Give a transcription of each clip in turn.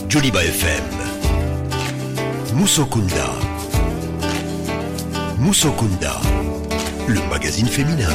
Joliba FM. Musokunda. Musokunda, le magazine féminin.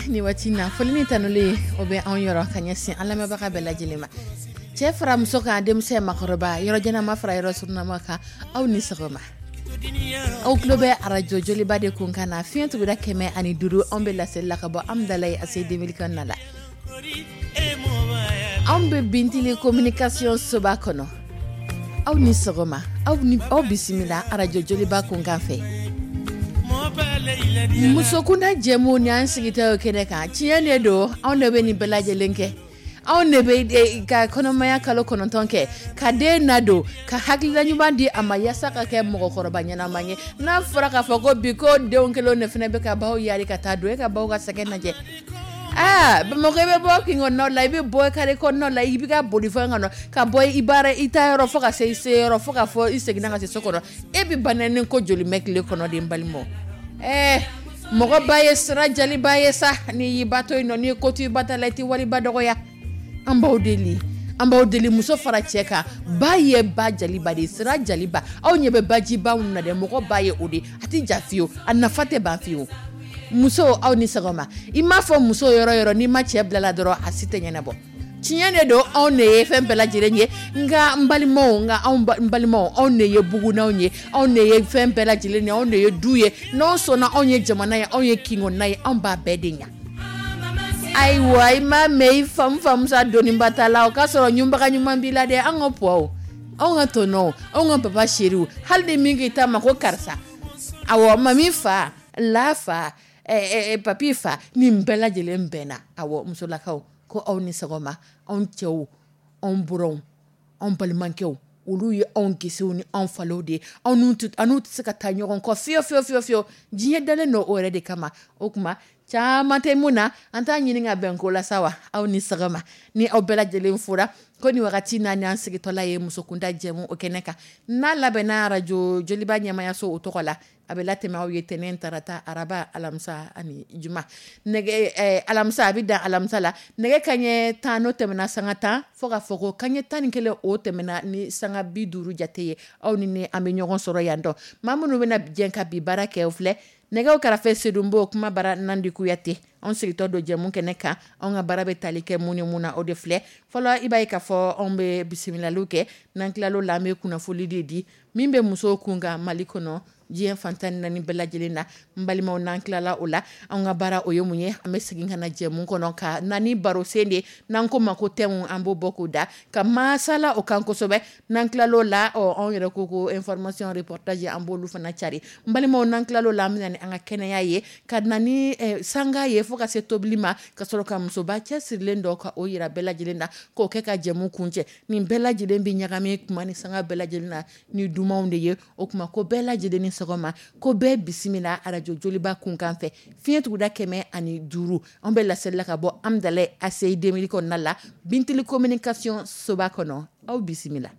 Ni waati na foli ni tanuli o bɛ anw yɔrɔ ka ɲɛsin an lamɛnbaga bɛɛ lajɛlen ma. Cɛ fara muso kan, denmisɛn makɔrɔba, yɔrɔ janama fara yɔrɔ surunama kan, aw ni sɔgɔma. Aw tulo bɛ arajo Joliba de kun kan na, fiɲɛ tuguda 105, anw bɛ laseli la ka bɔ Amudalayi ACI 2000 kɔnɔna la. Anw bɛ Bintili communication soba kɔnɔ. Aw ni sɔgɔma, aw ni aw bisimila arajo Joliba kun kan fɛ. Musokunda jɛmu ni an sigitɔ kɛnɛ kan, tiɲɛ de don, anw de bɛ nin bɛɛ lajɛlen kɛ. Anw de bɛ ka kɔnɔmaya kalo 9 kɛ, ka den nadon, ka hakilina ɲuman di a ma yaasa ka kɛ mɔgɔkɔrɔba ɲɛnama ye. N'a fɔra k'a fɔ ko bi ko denw kelen de fana bɛ ka baw yaari ka taa don, e ka baw ka sɛgɛn lajɛ. Aa, Bamakɔ i bɛ bɔ kin kɔnɔnaw la, i bɛ bɔ kare kɔnɔnaw la, i bɛ ka bolifɛn kɔnɔ, ka bɔ i baara i taa yɔrɔ fo ka se i se yɔrɔ, fo ka fɔ i seginna ka se so kɔnɔ. E bɛ banni ko joli mɛn tile kɔnɔ de, n balimaw? Mɔgɔ ba ye sira jaliba ye sa, n'i y'i ba to yen nɔ, n'i ye ko to i ba ta la, i tɛ waliba dɔgɔya. An b'aw deli, an b'aw deli, muso fara cɛ kan, ba ye ba jaliba de ye, sira jaliba. Aw ɲɛ bɛ bajiba minnu na dɛ, mɔgɔ ba ye o de, a tɛ ja fiyewu, a nafa tɛ ban fiyewu. Muso, aw ni sɔgɔma. I m'a fɔ muso yɔrɔ yɔrɔ, n'i ma cɛ bila la dɔrɔn, a si tɛ ɲɛnabɔ. Tiɲɛ de don, anw de ye fɛn bɛɛ lajɛlen ye, nka n balimaw, nka anw n balimaw, anw de ye bugunnaw ye, anw de ye fɛn bɛɛ lajɛlen ye, anw de ye du ye. N'anw sɔnna, anw ye jamana ye, anw ye kinkɔnɔna ye, anw b'a bɛɛ de ɲa. Ayiwa, i m'a mɛn i famu famusa doniba ta la, o k'a sɔrɔ ɲunbaga ɲuman b'i la dɛ, an ka puwaw. Anw ka tɔnɔw, anw ka papa chéri, hali ni min k'i ta ma ko karisa, awɔ, mami fa, la fa, papi fa, nin bɛɛ lajɛlen bɛnna. Awɔ, musolakaw ko aw ni sɔgɔma. Anw cɛw, anw buranw, anw balimakɛw, olu ye anw gsew ni anw falaw de ye. Anw tɛ se ka taa ɲɔgɔn kɔ fiyewu fiyewu fiyewu fiyewu. Diɲɛ dalen don o yɛrɛ de kama. O tuma caman tɛ mun na, an t'a ɲini ka bɛn ko la sa wa. Aw ni sɔgɔma. Ni aw bɛɛ lajɛlen fora ko ni wagati n'a y'an sigitɔla ye musokunda jɛmu o kɛnɛ kan, n'a labɛnna arajo Joliba ɲɛmayaso o tɔgɔ la, a bɛ latɛmɛ aw ye tɛnɛn, tarata, araba, alamisa ani juma. Nɛgɛ alamisa, a bɛ dan alamisa la nɛgɛ kaɲɛ 10 n'o tɛmɛna sanga 10 fo k'a fɔ ko kaɲɛ 11 o tɛmɛna ni sanga 50 jate ye. Aw ni ne an bɛ ɲɔgɔn sɔrɔ yan dɔn. Maa minnu bɛna jɛ ka bi baara kɛ, o filɛ: nɛgɛw kɛrɛfɛ Sedonbo, kuma bara Nandi Kuyate. Anw sigitɔ don jɛmu kɛnɛ kan, anw ka baara bɛ tali kɛ mun ni mun na, o de filɛ. Fɔlɔ, i b'a ye k'a fɔ anw bɛ bisimilaliw kɛ. N'an tilal'o la, an bɛ kunnafoli de di min bɛ musow kun kan Mali kɔnɔ, diɲɛ fan 14 bɛɛ lajɛlen na. N balimaw, n'an tilala o la, anw ka baara o ye mun ye? An bɛ segin ka na jɛmu kɔnɔ ka na ni baro sen de, n'an ko ma ko thème, an b'o bɔ k'o da ka masala o kan kosɛbɛ. N'an tilal'o la, ɔ, anw yɛrɛ ko information, reportage, an b'olu fana cari. N balimaw, n'an tilal'o la, an bɛ na ni an ka kɛnɛya ye, ka na ni sanga ye fo ka se tobili ma, ka sɔrɔ ka musoba cɛsirilen dɔ ka o yira bɛɛ lajɛlen na, k'o kɛ ka jɛmu kuncɛ. Nin bɛɛ lajɛlen bɛ ɲagami kuma ni sanga bɛɛ lajɛlen na ni dumanw de ye. O tuma ko bɛɛ lajɛlen ni sɔgɔma, ko bɛɛ bisimila arajo Joliba kunkan fɛ, fiɲɛ tuguda 105. An bɛ laseli la ka bɔ Amudalayi ACI 2000 kɔnɔna la, Bintili communication soba kɔnɔ. Aw bisimila.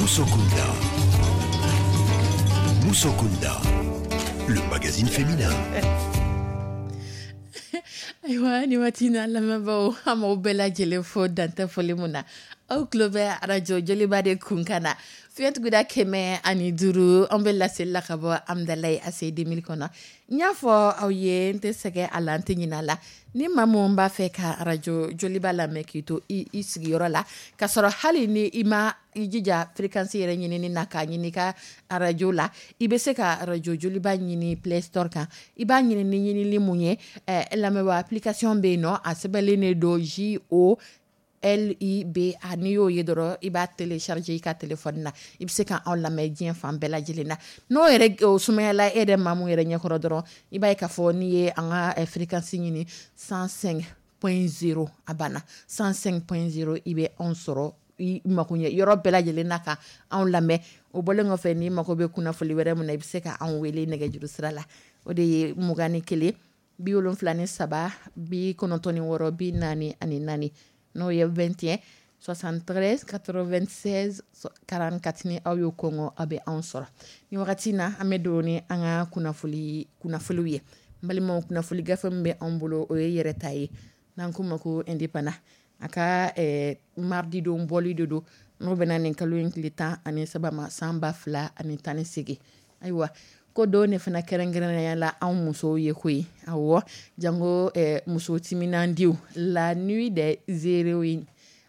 Musokunda. Musokunda, le magazine féminin. Ayiwa, ni waati na, lamɛnbaaw, an b'aw bɛɛ lajɛlen fo dantɛ foli mun na. Aw tulo bɛ arajo Joliba de kun kan na, fiɲɛ tuguda 105. An bɛ laseli la ka bɔ Amudalayi ACI 2000 kɔnɔ. N y'a fɔ aw ye, n tɛ sɛgɛn a la, n tɛ ɲinɛ a la, ni maa mun b'a fɛ ka arajo Joliba lamɛn k'i to i sigiyɔrɔ la, k'a sɔrɔ hali ni i ma i jija fréquence yɛrɛ ɲinini na k'a ɲini i ka arajo la, i bɛ se ka arajo Joliba ɲini Play Store kan. I b'a ɲini ni ɲinili mun ye, lamɛnbaa, application bɛ yen nɔ, a sɛbɛnlen de don JOLIBA. N'i y'o ye dɔrɔn, i b'a télécharger i ka téléphone na, i bɛ se ka anw lamɛn diɲɛ fan bɛɛ lajɛlen na. N'o yɛrɛ o sumayala e yɛrɛ maa mun yɛrɛ ɲɛkɔrɔ dɔrɔn, i b'a ye k'a fɔ n'i ye an ka fréquence ɲini, 105.0, a banna, 105.0, i bɛ anw sɔrɔ i mako ɲɛ yɔrɔ bɛɛ lajɛlen na ka anw lamɛn. O bɔlen kɔfɛ, n'i mako bɛ kunnafoli wɛrɛ min na, i bɛ se ka anw wele nɛgɛjuru sira la, o de ye 21 73 96 44, n'o ye 21 73 96 44. Ni aw y'o kɔngɔ, aw bɛ anw sɔrɔ. Ni wagati na, an bɛ don ni an ka kunnafoli kunnafoliw ye. N balimaw, kunnafoli gafe min bɛ anw bolo, o ye yɛrɛ ta ye, n'an k'o ma ko Indépendant. A ka mardi don bɔli de don, n'o bɛna nin kalo in tile 13 ma, san 2018. Ayiwa, ko don de fana kɛrɛnkɛrɛnnenya la anw musow ye koyi. Awɔ, jango muso timinandiw, la nuit des héroïnes.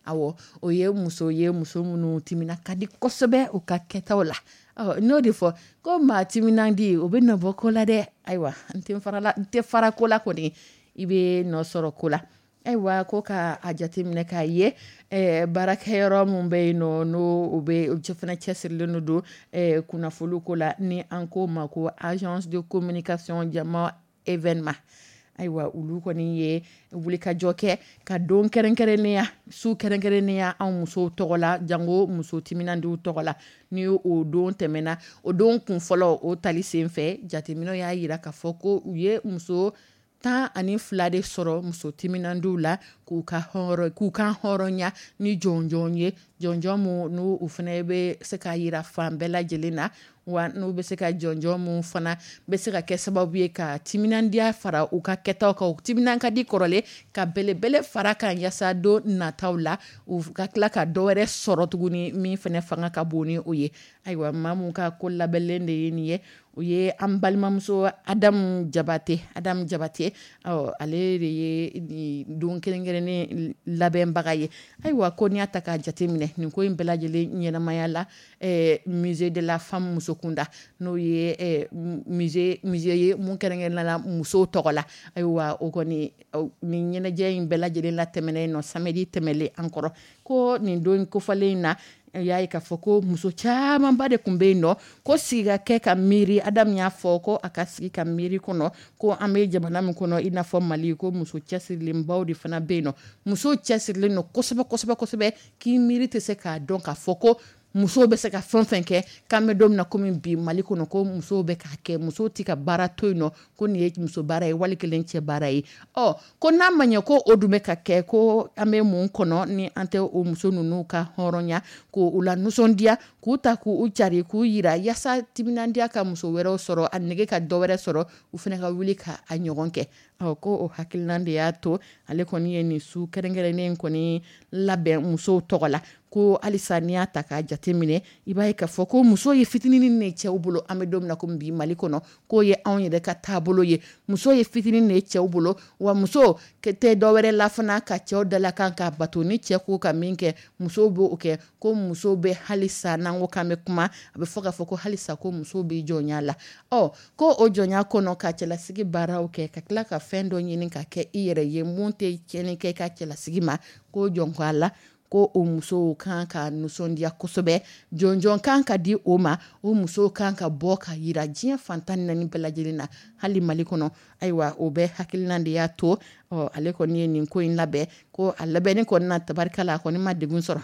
Awɔ, o ye muso ye, muso minnu timina ka di kosɛbɛ u ka kɛtaw la. Ɔ, n'o de fɔ ko maa timinandi, o bɛ nɔ bɔ ko la dɛ. Ayiwa, n tɛ farala, n tɛ fara ko la kɔni, i bɛ nɔ sɔrɔ ko la. Ayiwa, ko ka a jateminɛ k'a ye baarakɛyɔrɔ min bɛ yen nɔ, n'o o bɛ o fana cɛsirilen don kunnafoni ko la, ni an ko ma ko Agence de communication Jama événement, ayiwa, olu kɔni ye wulikajɔ kɛ ka don kɛrɛnkɛrɛnnenya, su kɛrɛnkɛrɛnnenya anw musow tɔgɔ la, jango muso timinandiw tɔgɔ la. Ni o don tɛmɛna, o don kun fɔlɔ, o tali sen fɛ, jateminɛw y'a jira k'a fɔ ko u ye muso 12 de sɔrɔ muso timinandiw la, k'u ka hɔrɔnya ni jɔnjɔn ye, jɔnjɔn mun n'u u fana bɛ se k'a yira fan bɛɛ lajɛlen na, wa n'u bɛ se ka jɔnjɔn mun fana bɛ se ka kɛ sababu ye ka timinandiya fara u ka kɛtaw kan, u timinan ka di kɔrɔlen, ka belebele fara kan, yaasa don nataw la u ka tila ka dɔ wɛrɛ sɔrɔ tuguni min fana fanga ka bon ni o ye. Ayiwa, maa mun ka ko labɛnlen de ye nin ye, o ye an balimamuso Adamu Jabate. Adamu Jabate, ɔ, ale de ye nin don kɛrɛnkɛrɛnnen labɛnbaga ye. Ayiwa, ko n'i y'a ta k'a jateminɛ, nin ko in bɛɛ lajɛlen ɲɛnamaya la musée de la femme musokunda, n'o ye musée ye mun kɛrɛnkɛrɛnnenya la musow tɔgɔ la. Ayiwa, o kɔni, nin ɲɛnajɛ in bɛɛ lajɛlen la tɛmɛnen nɔ samedi tɛmɛlen an kɔrɔ, ko nin don kofɔlen in na, y'a ye k'a fɔ ko muso camanba de tun bɛ yen nɔ, ko sigi ka kɛ ka miiri. Adamu y'a fɔ ko a ka sigi ka miiri kɔnɔ ko an bɛ jamana min kɔnɔ, i n'a fɔ Mali, ko muso cɛsirilenbaw de fana bɛ yen nɔ, muso cɛsirilen don kosɛbɛ kosɛbɛ kosɛbɛ, k'i miiri tɛ se k'a dɔn k'a fɔ ko musow bɛ se ka fɛn fɛn kɛ, k'an bɛ don min na komi bi Mali kɔnɔ, ko musow bɛ k'a kɛ, musow tɛ ka baara to yen nɔ ko nin ye muso baara ye wali kelen cɛ baara ye. Ɔ, ko n'a ma ɲɛ ko o dun bɛ ka kɛ, ko an bɛ mun kɔnɔ ni an tɛ o muso ninnu ka hɔrɔnya k'u la nisɔndiya, k'u ta k'u cari, k'u yira, yaasa timinandiya ka muso wɛrɛw sɔrɔ, a nege ka dɔ wɛrɛ sɔrɔ, u fana ka wuli ka a ɲɔgɔn kɛ. Ɔ, ko o hakilina de y'a to ale kɔni ye nin su kɛrɛnkɛrɛnnen kɔni labɛn musow tɔgɔ la. Ko halisa n'i y'a ta k'a jateminɛ, i b'a ye k'a fɔ ko muso ye fitinin de cɛw bolo. An bɛ don min na komi bi Mali kɔnɔ, k'o ye anw yɛrɛ ka taabolo ye, muso ye fitinin de ye cɛw bolo, wa muso tɛ dɔwɛrɛ la fana ka cɛw dalakan ka bato. Ni cɛ ko ka min kɛ, musow b'o kɛ. Ko muso bɛ halisa, n'an ko k'an bɛ kuma, a bɛ fɔ k'a fɔ ko halisa ko muso bɛ jɔnya la. Ɔ, ko o jɔnya kɔnɔ, ka cɛlasigi baaraw kɛ, ka tila ka fɛn dɔ ɲini ka kɛ i yɛrɛ ye mun tɛ tiɲɛni kɛ i ka cɛlasigi ma, ko jɔn ko a la, ko o musow kan ka nisɔndiya kosɛbɛ, jɔnjɔn kan ka di o ma, o musow kan ka bɔ ka yira diɲɛ fan 14 bɛɛ lajɛlen na, hali Mali kɔnɔ. Ayiwa, o bɛɛ hakilina de y'a to, ɔ, ale kɔni ye nin ko in labɛn. Ko a labɛnni kɔni na, tabarikala, a kɔni ma degun sɔrɔ,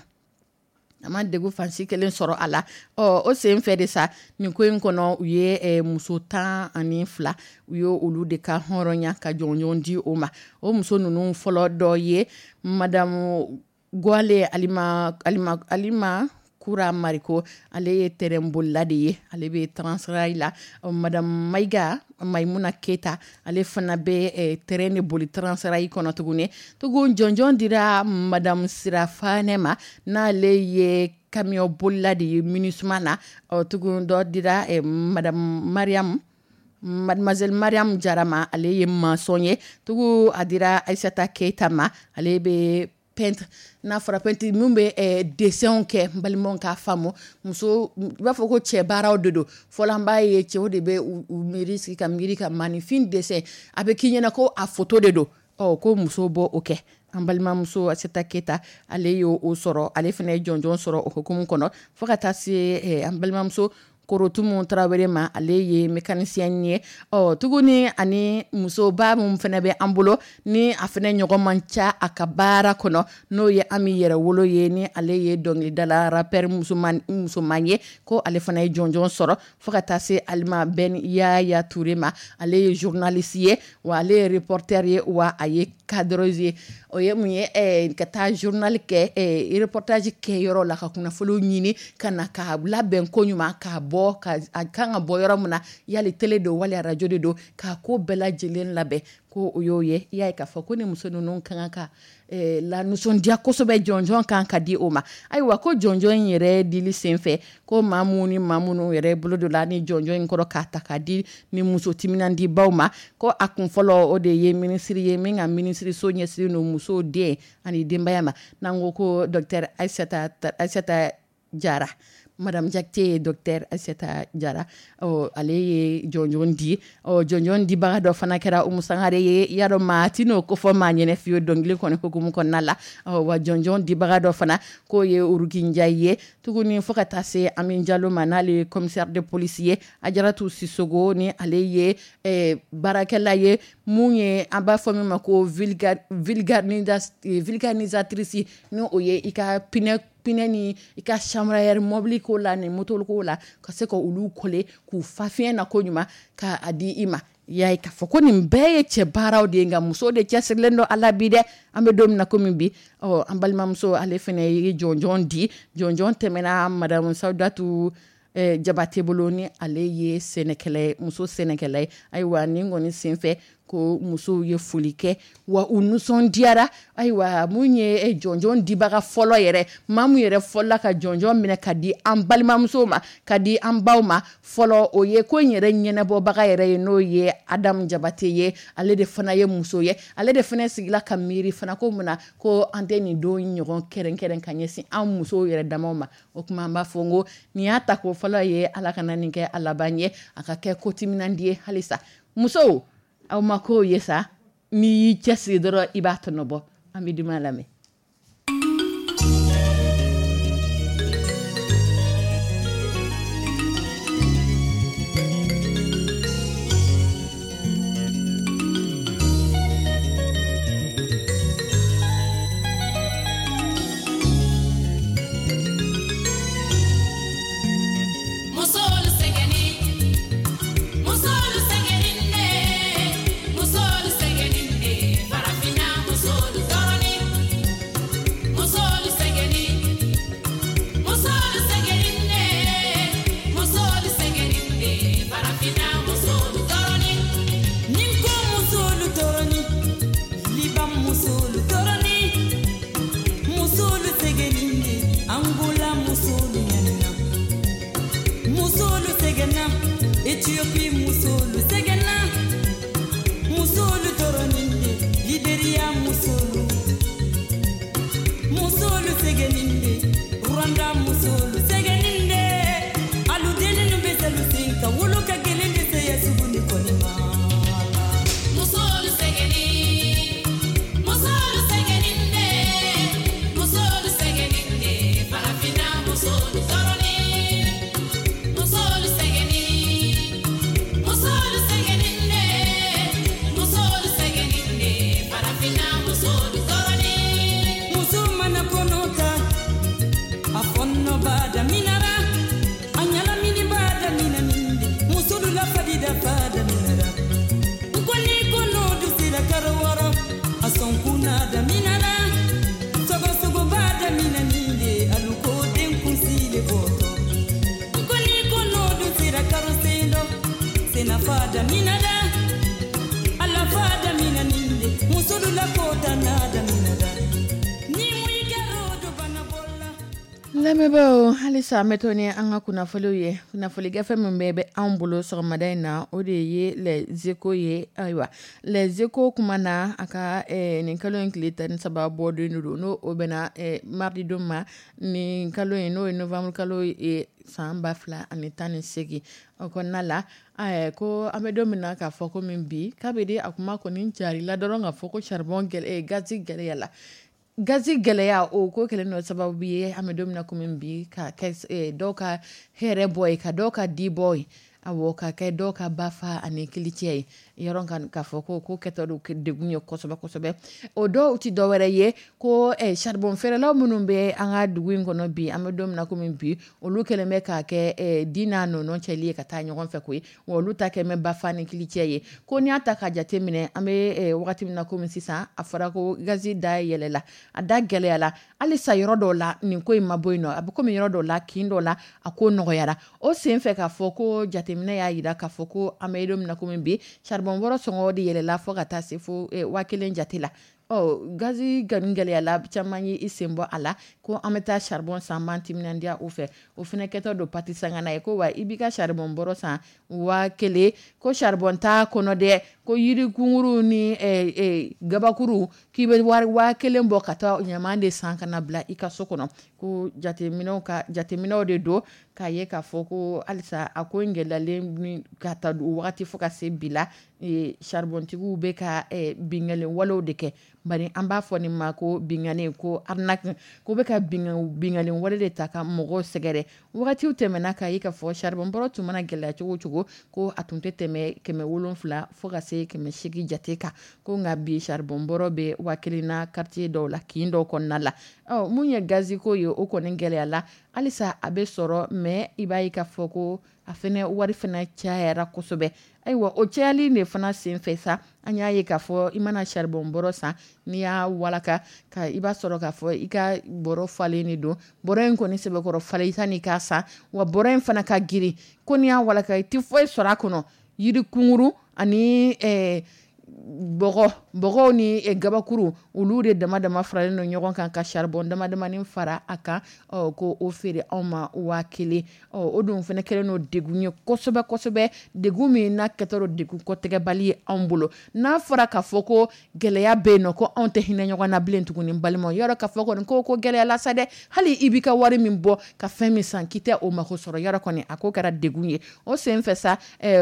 a ma degun fansi kelen sɔrɔ a la. Ɔ, o sen fɛ de sa, nin ko in kɔnɔ, u ye muso 12, u ye olu de ka hɔrɔnya ka jɔnjɔn di o ma. O muso ninnu fɔlɔ dɔ ye madamu Gwale Alima Alima Alima. Kura Mariko, ale ye terrain bolila de ye, ale bɛ Transrail la. Madame Mayiga Mayimuna Keyita, ale fana bɛ terrain de boli Transrail kɔnɔ tuguni. Tugun jɔnjɔn dira madame Sira Fanɛ ma, n'ale ye camion bolila de ye MINUSMA na. Ɔ tugun dɔ dira madame Mariam Mademoiselle Mariam Jara ma, ale ye maçon ye. Tugu a dira Aissata Keita ma, ale bɛ peintre, n'a fɔra peintre min bɛ dessin kɛ, n balimaw k'a faamu, muso i b'a fɔ ko cɛ baaraw de don. Fɔlɔ an b'a ye cɛw de bɛ u miiri sigi ka miiri ka maninfin dessin, a bɛ k'i ɲɛna ko a photo de don. Ɔ ko muso b'o kɛ. An balimamuso Aissata Keita, ale y'o sɔrɔ, ale fana ye jɔnjɔn sɔrɔ o hukumu kɔnɔ. Fo ka taa se an balimamuso Korotumu Tarawele ma, ale ye mécanicien ye. Ɔ tuguni ani musoba min fana bɛ an bolo ni a fana ɲɔgɔn man ca a ka baara kɔnɔ, n'o ye Ami Yɛrɛwolo ye, ni ale ye dɔnkilidala rappeur musoman ye, ko ale fana ye jɔnjɔn sɔrɔ. Fo ka taa se Alima Ben Yaya Ture ma, ale ye journaliste ye, wa ale ye reporter ye, wa a ye cadreuse ye. O ye mun ye? Ka taa journal kɛ, reportage kɛ yɔrɔ la, ka kunnafoniw ɲini ka na k'a labɛn ko ɲuman, k'a bɔ ka a kan ka bɔ yɔrɔ min na, yali télé don wali radio de don, k'a ko bɛɛ lajɛlen labɛn, ko o y'o ye. I y'a ye k'a fɔ ko ni muso ninnu ka kan ka la nisɔndiya kosɛbɛ, jɔnjɔn kan ka di o ma. Ayiwa, ko jɔnjɔn in yɛrɛ dili senfɛ, ko maa minnu ni maa minnu yɛrɛ bolo don la ni jɔnjɔn in kɔrɔ k'a ta k'a di ni muso timinandibaw ma, ko a kun fɔlɔ o de ye minisiri ye min ka minisiriso ɲɛsinnen don musow, den ani denbaya ma, n'an ko ko docteur Aissata Jara, madame Jakite, docteur Aissata Jara. Ɔ ale ye jɔnjɔn di. Ɔ jɔnjɔn dibaga dɔ fana kɛra Umu Sangare ye. I y'a dɔn maa ti n'o ko fɔ maa ɲɛnɛ fiyewu dɔnkili kɔni hukumu kɔnɔna la. Ɔ wa jɔnjɔn dibaga dɔ fana k'o ye Uruki Njayi ye. Tuguni fo ka taa se Ami Jalo ma, n'ale ye commissaire de police ye. Ajaratu Sisogo, ni ale ye baarakɛla ye, mun ye an b'a fɔ min ma ko vulcanisatrice, ni o ye i ka pneu ni i ka chambre à air mobili ko la ni moto ko la, ka se ka olu coller k'u fa fiɲɛ na ko ɲuman k'a di i ma. I y'a ye k'a fɔ ko nin bɛɛ ye cɛ baaraw de ye, nka muso de cɛsirilen don a la bi dɛ. An bɛ don min na komi bi. Ɔ an balimamuso, ale fana ye jɔnjɔn di. Jɔnjɔn tɛmɛna madame Sawudatu Jabate bolo, ni ale ye sɛnɛkɛla ye, muso sɛnɛkɛla ye. Ayiwa, nin kɔni senfɛ ko musow ye foli kɛ, wa u nisɔndiyara. Ayiwa, mun ye jɔnjɔn dibaga fɔlɔ yɛrɛ, maa mun yɛrɛ fɔlɔla ka jɔnjɔn minɛ ka di an balimamusow ma, ka di an baw ma fɔlɔ, o ye ko in yɛrɛ ɲɛnabɔbaga yɛrɛ ye, n'o ye Adamu Jabate ye. Ale de fana ye muso ye, ale de fana sigila ka miiri fana ko mun na ko an tɛ nin don ɲɔgɔn kɛrɛnkɛrɛn ka ɲɛsin an musow yɛrɛ damaw ma. O tuma an b'a fɔ n ko nin y'a ta ko fɔlɔ ye, Ala kana nin kɛ a laban ye, a ka kɛ ko timinandi ye halisa. Musow, aw ma kow ye sa, n'i y'i cɛsiri dɔrɔn i b'a tɔnɔ bɔ. An bɛ duman lamɛn. Ethiopie musolu sɛgɛnna, musolu tɔɔrɔnin de, Liberia musolu, musolu sɛgɛnnin de, Rwanda musolu sɛgɛnnin de, alu denninnu bɛ selu sen kan, wolo ka gɛlɛn dɛsɛya sugu ni kɔni ma. Musolu sɛgɛnnin, musolu sɛgɛnnin de, musolu sɛgɛnnin de, farafinna musolu tɔɔrɔnin. Musolu sɛgɛnnin, musolu sɛgɛnnin de, musolu sɛgɛnnin de, farafinna musolu tɔɔrɔnin. Muso mana kɔnɔ ta, a fɔɔnɔ b'a daminɛra, a ɲalamini b'a daminɛnin de, musolu la fadida b'a daminɛra. N ko ni kɔnɔ dun sera karo 6, a sɔnkun n'a daminɛra, sɔgɔsɔgɔ b'a daminɛnin de, alu ko den kunsi le Lamɛnbaaw, halisa an bɛ to ni an ka kunnafoniw ye. Kunnafoni gafe min bɛ anw bolo sɔgɔmada in na, o de ye Les Échos ye. Ayiwa, Les Échos kuma na a ka nin kalo in tile 13 bɔ don don, n'o o bɛnna mardi don ma nin kalo in, n'o ye novembre kalo ye san 2018 o kɔnɔna la. Ko an bɛ don min na k'a fɔ ko min bi, k'a bɛ di a kuma kɔni carila dɔrɔn k'a fɔ ko charbon gazi gɛlɛyala. Gazi gɛlɛya, o ko kɛlen dɔ sababu ye, an bɛ don min na komi bi, ka kɛ dɔw ka hɛrɛ bɔ ye, ka dɔw ka di bɔ ye, awɔ, ka kɛ dɔw ka bafa ani kilicɛ ye. Yɔrɔ k'a fɔ ko kɛtɔ don degun ye kosɛbɛ kosɛbɛ. O dɔw tɛ dɔwɛrɛ ye ko charbon feerelaw minnu bɛ an ka dugu in kɔnɔ bi, an bɛ don min na komi bi, olu kɛlen bɛ k'a kɛ di n'a nɔnɔ cɛli ye ka taa ɲɔgɔn fɛ koyi. Wa olu ta kɛ mɛ bafa ni kilicɛ ye. Ko n'i y'a ta ka jate minɛ, an bɛ wagati min na komi sisan, a fɔra ko gazi da yɛlɛla, a da gɛlɛyala. Halisa yɔrɔ dɔw la nin ko in ma bɔ yen nɔ, a bɛ komi yɔrɔ dɔw la, kin dɔw la, a ko nɔgɔyara. O sen fɛ k'a fɔ ko jateminɛ y'a jira k'a fɔ ko an bɛ don min na komi bi, charbon bɔrɔ sɔngɔ de yɛlɛla fo ka taa se fo 1000 jate la. Ɔ, gazi gɛlɛyala, caman ye i sen bɔ a la ko an bɛ taa charbon san, an b'an timinandiya o fɛ. O fana kɛtɔ don pati sangana ye ko wa i b'i ka charbon bɔrɔ san 1000, ko charbon t'a kɔnɔ dɛ, ko yiri kunkuru ni gabakuru, k'i bɛ wari 1000 bɔ ka taa ɲaman de san ka na bila i ka so kɔnɔ. Ko jateminɛw de don k'a ye k'a fɔ ko halisa a ko in gɛlɛyalen ka taa wagati fo ka se bi la, charbontigiw bɛ ka binkanni walew de kɛ. Bari an b'a fɔ nin ma ko binkanni, ko arnaque, ko bɛ ka binkanni wale de ta ka mɔgɔw sɛgɛrɛ. Wagatiw tɛmɛna k'a ye k'a fɔ charbon bɔrɔ tun mana gɛlɛya cogo cogo, ko a tun tɛ tɛmɛ 700 fo ka se 800 jate kan. Ko nka bi charbon bɔrɔ bɛ 1000 na quartier dɔw la, kin dɔw kɔnɔna la. Ɔ, mun ye gazi ko ye, o kɔni gɛlɛyala. Halisa a bɛ sɔrɔ, mais i b'a ye k'a fɔ ko a fɛnɛ wari fɛnɛ cayara kosɛbɛ. Ayiwa, o cayali de fana sen fɛ sa, an y'a ye k'a fɔ i mana charbon bɔrɔ san, n'i y'a walaka ka i b'a sɔrɔ k'a fɔ i ka bɔrɔ falen de don. Bɔrɔ in kɔni sɛbɛkɔrɔ falen sanni k'a san, wa bɔrɔ in fana ka girin. Ko n'i y'a walaka, i tɛ foyi sɔrɔ a kɔnɔ, yiri kunkuru ani bɔgɔw ni gabakuru, olu de dama dama faralen don ɲɔgɔn kan ka charbon dama damani fara a kan, ko o feere anw ma 1000. O dun fana kɛlen don degun ye kosɛbɛ kosɛbɛ, degun min n'a kɛtɔ don degun kɔtɛgɛbali ye anw bolo. N'a fɔra k'a fɔ ko gɛlɛya bɛ yen nɔ, ko anw tɛ hinɛ ɲɔgɔn na bilen tuguni, balimaw, yɔrɔ k'a fɔ kɔni ko gɛlɛyala sa dɛ. Hali i b'i ka wari min bɔ ka fɛn min san k'i tɛ o mako sɔrɔ, yɔrɔ kɔni a ko kɛra degun ye. O sen fɛ sa,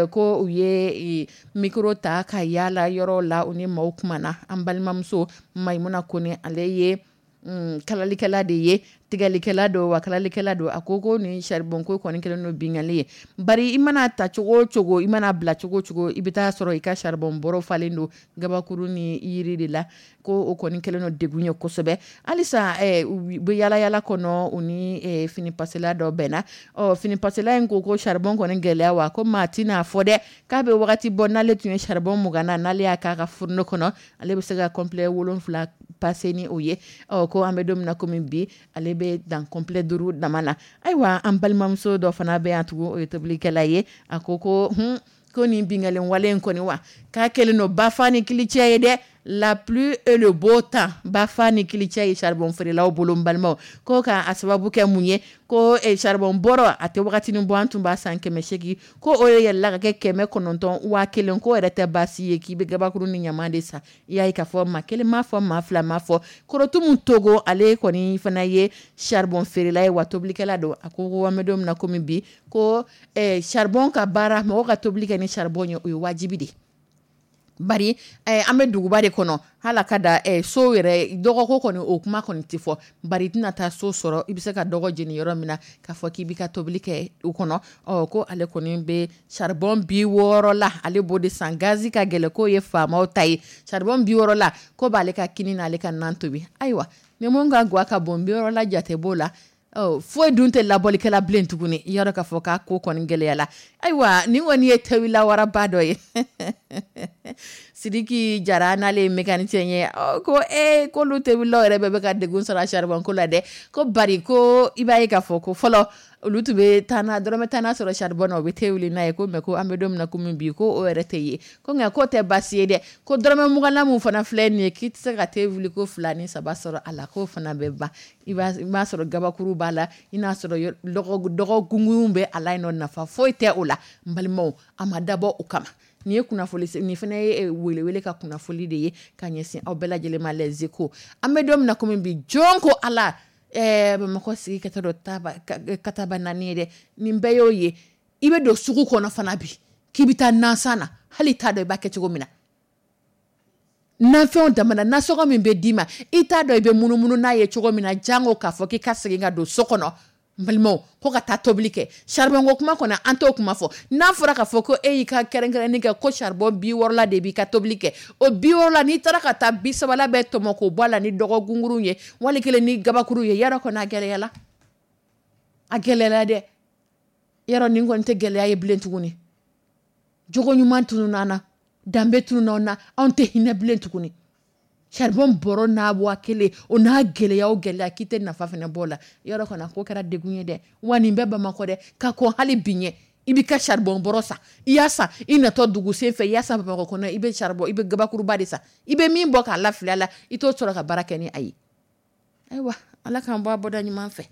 ko u ye micro ta ka yaala yɔrɔ la, u ni maaw kumana. An balimamuso Mayimuna Kone, ale ye kalalikɛla de ye, tigɛlikɛla don, wa kalalikɛla don. A ko nin charbon ko kɔni kɛlen don binkanni ye. Bari i mana ta cogo o cogo, i mana bila cogo o cogo, i bɛ taa sɔrɔ i ka charbon bɔrɔ falen don gabakuru ni yiri de la. Ko o kɔni kɛlen don degun ye kosɛbɛ. Halisa u bɛ yala yala kɔnɔ, u ni fini pasela dɔ bɛnna. Ɔ, fini pasela in ko charbon kɔni gɛlɛya, wa ko maa tɛna fɔ dɛ k'a bɛ wagati bɔ, n'ale tun ye charbon 20 na, n'ale y'a k'a ka fourneau kɔnɔ, ale bɛ se ka complet 7 passer ni o ye. Ɔ, ko an bɛ don min na komi bi, ale bɛ dan complet 5 dama na. Ayiwa, an balimamuso dɔ fana bɛ yan tugun, o ye tobilikɛla ye. A ko ko nin binkanni wale in kɔni, wa k'a kɛlen don bafa ni kilicɛ ye dɛ. La pluie et le beau temps, bafa ni kilicɛ ye charbon feerelaw bolo, n balimaw. Ko k'a sababu kɛ mun ye, ko charbon bɔrɔ a tɛ wagatinin bɔ, an tun b'a san 800, ko o ye yɛlɛla ka kɛ 900, 1000. Ko yɛrɛ tɛ baasi ye k'i bɛ gabakuru ni ɲaman de san. I y'a ye k'a fɔ maa kelen m'a fɔ, maa fila m'a fɔ. Korotumu Togo, ale kɔni fana ye charbon feerela ye, wa tobilikɛla don. A ko an bɛ don min na komi bi, ko charbon ka baara, mɔgɔ ka tobili kɛ ni charbon ye, o ye wajibi de ye. Bari an bɛ duguba de kɔnɔ, hali ka da so yɛrɛ dɔgɔko kɔni, o kuma kɔni tɛ fɔ. Bari i tɛna taa so sɔrɔ i bɛ se ka dɔgɔ jeni yɔrɔ min na k'a fɔ k'i b'i ka tobili kɛ o kɔnɔ. Ɔ, ko ale kɔni bɛ charbon 60 la, ale b'o de san. Gazi ka gɛlɛn, k'o ye faamaw ta ye. Charbon 60 la, ko b'ale ka kini n'ale ka nan tobi. Ayiwa, ni mun ka gwa ka bon, 60 la jate b'o la. Foyi dun tɛ labɔlikɛla bilen tuguni, i yɔrɔ k'a fɔ k'a ko kɔni gɛlɛyala. Ayiwa, nin kɔni ye tawila waraba dɔ ye. Sidiki Jara, n'ale ye mécanicien ye, ko ee, k'olu tebilaw yɛrɛ bɛɛ bɛ ka degun sɔrɔ a charbon ko la dɛ. Ko bari ko i b'a ye k'a fɔ ko fɔlɔ olu tun bɛ taa na dɔrɔmɛ tan na sɔrɔ charbon na, u bɛ te wuli n'a ye. Ko mais ko an bɛ don min na komi bi, ko o yɛrɛ tɛ ye. Ko nka k'o tɛ baasi ye dɛ, ko dɔrɔmɛ 20na mun fana filɛ nin ye, k'i tɛ se ka te wuli ko fila ni saba sɔrɔ a la, k'o fana bɛ ban. I b'a sɔrɔ gabakuru b'a la, i n'a sɔrɔ dɔgɔ gungun bɛ a la yen nɔ, nafa foyi tɛ o la. N balimaw, a ma dabɔ o kama. Nin ye kunnafoni, nin fana ye welewele ka kunnafoni de ye ka ɲɛsin aw bɛɛ lajɛlen ma, Les Échos. An bɛ don min na komi bi, jɔn ko Ala, Bamakɔ sigi kɛtɔ dɔ kataba naani ye dɛ. Nin bɛɛ y'o ye. I bɛ don sugu kɔnɔ fana bi k'i bɛ taa nansan na, hali t'a dɔn i b'a kɛ cogo min na. Nafɛnw damana, nasɔngɔ min bɛ d'i ma, i t'a dɔn i bɛ munumunu n'a ye cogo min na, jango k'a fɔ k'i ka segin ka don so kɔnɔ. N balimaw, ko ka taa tobili kɛ, charbon ko kuma kɔnɔ, an t'o kuma fɔ. N'a fɔra k'a fɔ ko e y'i ka kɛrɛnkɛrɛnni kɛ ko charbon 60 la de b'i ka tobili kɛ, o 60 la, n'i taara ka taa 30 la bɛɛ tɔmɔ k'o bɔ a la ni dɔgɔ gungurun ye, wali kelen ni gabakuru ye, yarɔ kɔni a gɛlɛyala, a gɛlɛyala dɛ. Yarɔ nin kɔni tɛ gɛlɛya ye bilen tuguni. Jogo ɲuman tununna an na, danbe tununna an na, anw tɛ hinɛ bilen tuguni. Charbon bɔrɔ n'a 1000, o n'a gɛlɛya o gɛlɛya, k'i tɛ nafa fana bɔ o la, yɔrɔ kɔni a ko kɛra degun ye dɛ. Wa nin bɛɛ Bamakɔ dɛ, ka kɔn hali bi ɲɛ, i b'i ka charbon bɔrɔ san, i y'a san i natɔ dugu sen fɛ, i y'a san Bamakɔ kɔnɔ, i bɛ charbon, i bɛ gabakuruba de san, i bɛ min bɔ k'a lafili a la, i t'o sɔrɔ ka baara kɛ ni a ye. Ayiwa, Ala k'an bɔ a bɔda ɲuman fɛ.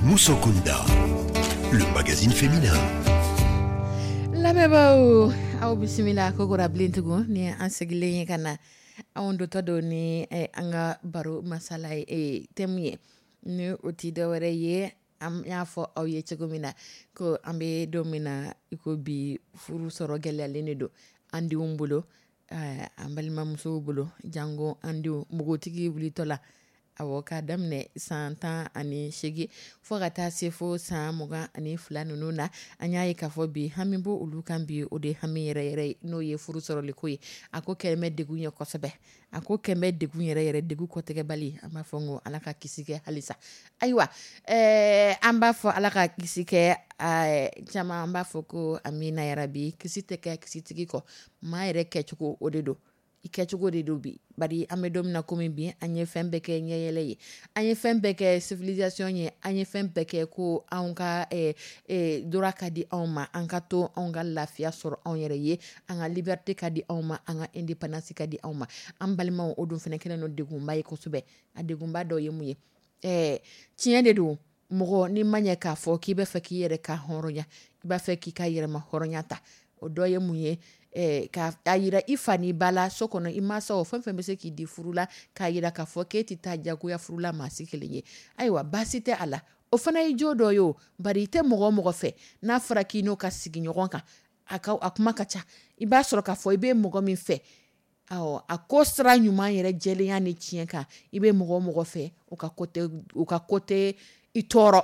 Moussokunda, le magazine féminin. Lamɛnbaaw, aw bisimila kokura bilen tugun ni an sigilen ye ka na anw dotɔ don ni an ka baro masala ye, thème ye, ni o tɛ dɔwɛrɛ ye, an y'a fɔ aw ye cogo min na ko an bɛ don min na i ko bi, furu sɔrɔ gɛlɛyalen de don an denw bolo, an balimamusow bolo, jango an denw npogotigi wulitɔ la, awɔ, k'a daminɛ san 18 fo ka taa se fo san 22 ninnu na. An y'a ye k'a fɔ bi hami b'o olu kan bi, o de hami yɛrɛ yɛrɛ ye, n'o ye furu sɔrɔliko ye. A ko kɛlen bɛ degun ye kosɛbɛ, a ko kɛlen bɛ degun yɛrɛ yɛrɛ, degun kɔtigɛbali. An b'a fɔ n ko Ala ka kisi kɛ halisa. Ayiwa, an b'a fɔ Ala ka kisi kɛ, caman an b'a fɔ ko amina yarabi. Kisi tɛ kɛ kisitigi kɔ, maa yɛrɛ kɛcogo o de don, i kɛcogo de don bi. Bari an bɛ don min na komi bi, an ye fɛn bɛɛ kɛ ɲɛyɛlɛ ye, an ye fɛn bɛɛ kɛ civilisation ye, an ye fɛn bɛɛ kɛ ko anw ka droit ka di anw ma, an ka to anw ka lafiya sɔrɔ anw yɛrɛ ye, an ka liberté ka di anw ma, an ka indépendance ka di anw ma. An balimaw, o dun fana kɛlen don degunba ye kosɛbɛ. A degunba dɔ ye mun ye? Tiɲɛ de don, mɔgɔ n'i ma ɲɛ k'a fɔ k'i b'a fɛ k'i yɛrɛ ka hɔrɔnya, i b'a fɛ k'i ka yɛrɛma hɔrɔnya ta, o dɔ ye mun ye? Ka a yira i fa n'i ba la so kɔnɔ, i mansaw fɛn fɛn bɛ se k'i di furu la, k'a yira k'a fɔ k'e tɛ taa jagoya furu la maa si kelen ye, ayiwa, baasi tɛ a la, o fana ye jo dɔ ye. O bari i tɛ mɔgɔ o mɔgɔ fɛ, n'a fɔra k'i n'o ka sigi ɲɔgɔn kan, a ka a kuma ka ca. I b'a sɔrɔ k'a fɔ i bɛ mɔgɔ min fɛ, awɔ, a ko sira ɲuman yɛrɛ jɛlenya ni tiɲɛ kan, i bɛ mɔgɔ o mɔgɔ fɛ, o ka ko tɛ, u ka ko tɛ i tɔɔrɔ.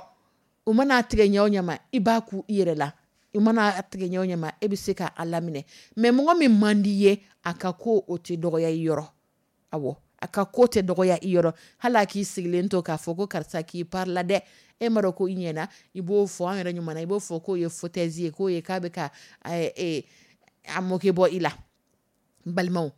U mana tigɛ ɲɛ o ɲɛ ma, i b'a ku i yɛrɛ la. I mana tigɛ ɲɛ o ɲɛ ma, e bɛ se k'a laminɛ. Mais mɔgɔ min man di ye, a ka ko o tɛ dɔgɔya i yɔrɔ. Awɔ, a ka ko tɛ dɔgɔya i yɔrɔ. Hali a k'i sigilen to k'a fɔ ko karisa k'i pari la dɛ, e m'a dɔn ko i ɲɛna, i b'o fɔ an yɛrɛ ɲuman na, i b'o fɔ k'o ye foutaise ye, k'o ye k'a bɛ ka a moquer bɔ i la. N balimaw,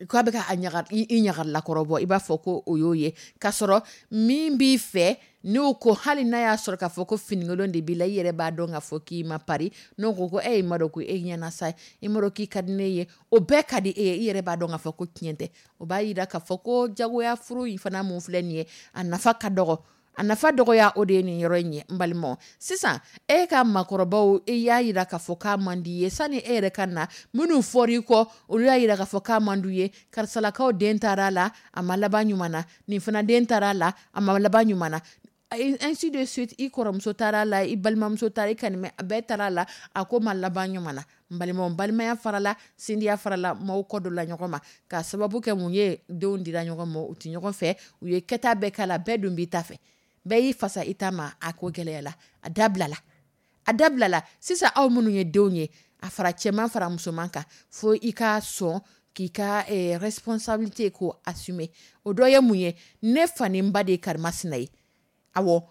k'a bɛ ka a ɲaga i ɲagalakɔrɔ bɔ, i b'a fɔ ko o y'o ye, k'a sɔrɔ min b'i fɛ, n'o ko hali n'a y'a sɔrɔ k'a fɔ ko finikolon de b'i la, i yɛrɛ b'a dɔn k'a fɔ k'i ma pari, n'o ko ko e m'a dɔn ko e ɲɛna sa, i m'a dɔn k'i ka di ne ye, o bɛɛ ka di e ye, i yɛrɛ b'a dɔn k'a fɔ ko tiɲɛ tɛ. O b'a yira k'a fɔ ko jagoya furu in fana mun filɛ nin ye, a nafa ka dɔgɔ. A nafa dɔgɔya o de ye nin yɔrɔ in ye. N balimaw, sisan e ka makɔrɔbaw, e y'a yira k'a fɔ k'a man di ye, sani e yɛrɛ ka na, minnu fɔra i kɔ, olu y'a yira k'a fɔ k'a man d'u ye. Karisalakaw den taara a la, a ma laban ɲuman na, nin fana den taara a la, a ma laban ɲuman na, ainsi de suite. I kɔrɔmuso taara a la, i balimamuso taara, i kanimɛ bɛɛ taara a la, a ko ma laban ɲuman na. N balimaw, balimaya farala, sindiya farala, maaw kɔ dɔ la ɲɔgɔn ma, k'a sababu kɛ mun ye? Denw dira ɲɔgɔn ma, u tɛ ɲɔgɔn fɛ, u ye kɛta bɛɛ k'a la, bɛɛ dun b'i ta fɛ, bɛɛ y'i fasa i ta ma, a ko gɛlɛyala, a dabilala, a dabilala. Sisan aw minnu ye denw ye, a fara cɛman fara musoman kan, fo i ka sɔn k'i ka responsabilité k'o assumer. O dɔ ye mun ye? Ne fa ni n ba de ye karimasina ye. Awɔ,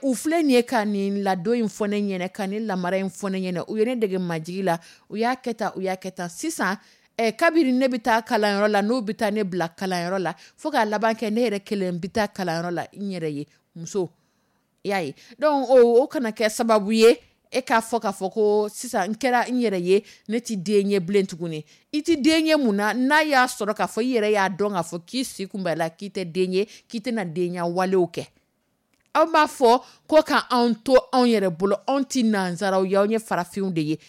u filɛ nin ye ka nin ladon in fɔ ne ɲɛna, ka nin lamara in fɔ ne ɲɛna, u ye ne dege majigi la, u y'a kɛ tan, u y'a kɛ tan. Sisan kabiri ne bɛ taa kalanyɔrɔ la, n'u bɛ taa ne bila kalanyɔrɔ la, fo k'a laban kɛ ne yɛrɛ kelen bɛ taa kalanyɔrɔ la n yɛrɛ ye, muso, i y'a ye. Donc o kana kɛ sababu ye e k'a fɔ k'a fɔ ko sisan n kɛra n yɛrɛ ye, ne tɛ den ye bilen tuguni. I tɛ den ye mun na, n'a y'a sɔrɔ k'a fɔ i yɛrɛ y'a dɔn k'a fɔ k'i si kun b'a la k'i tɛ den ye, k'i tɛna denya walew kɛ? Aw b'a fɔ ko ka anw to anw yɛrɛ bolo, anw tɛ nanzaraw ye, anw ye farafinw de ye.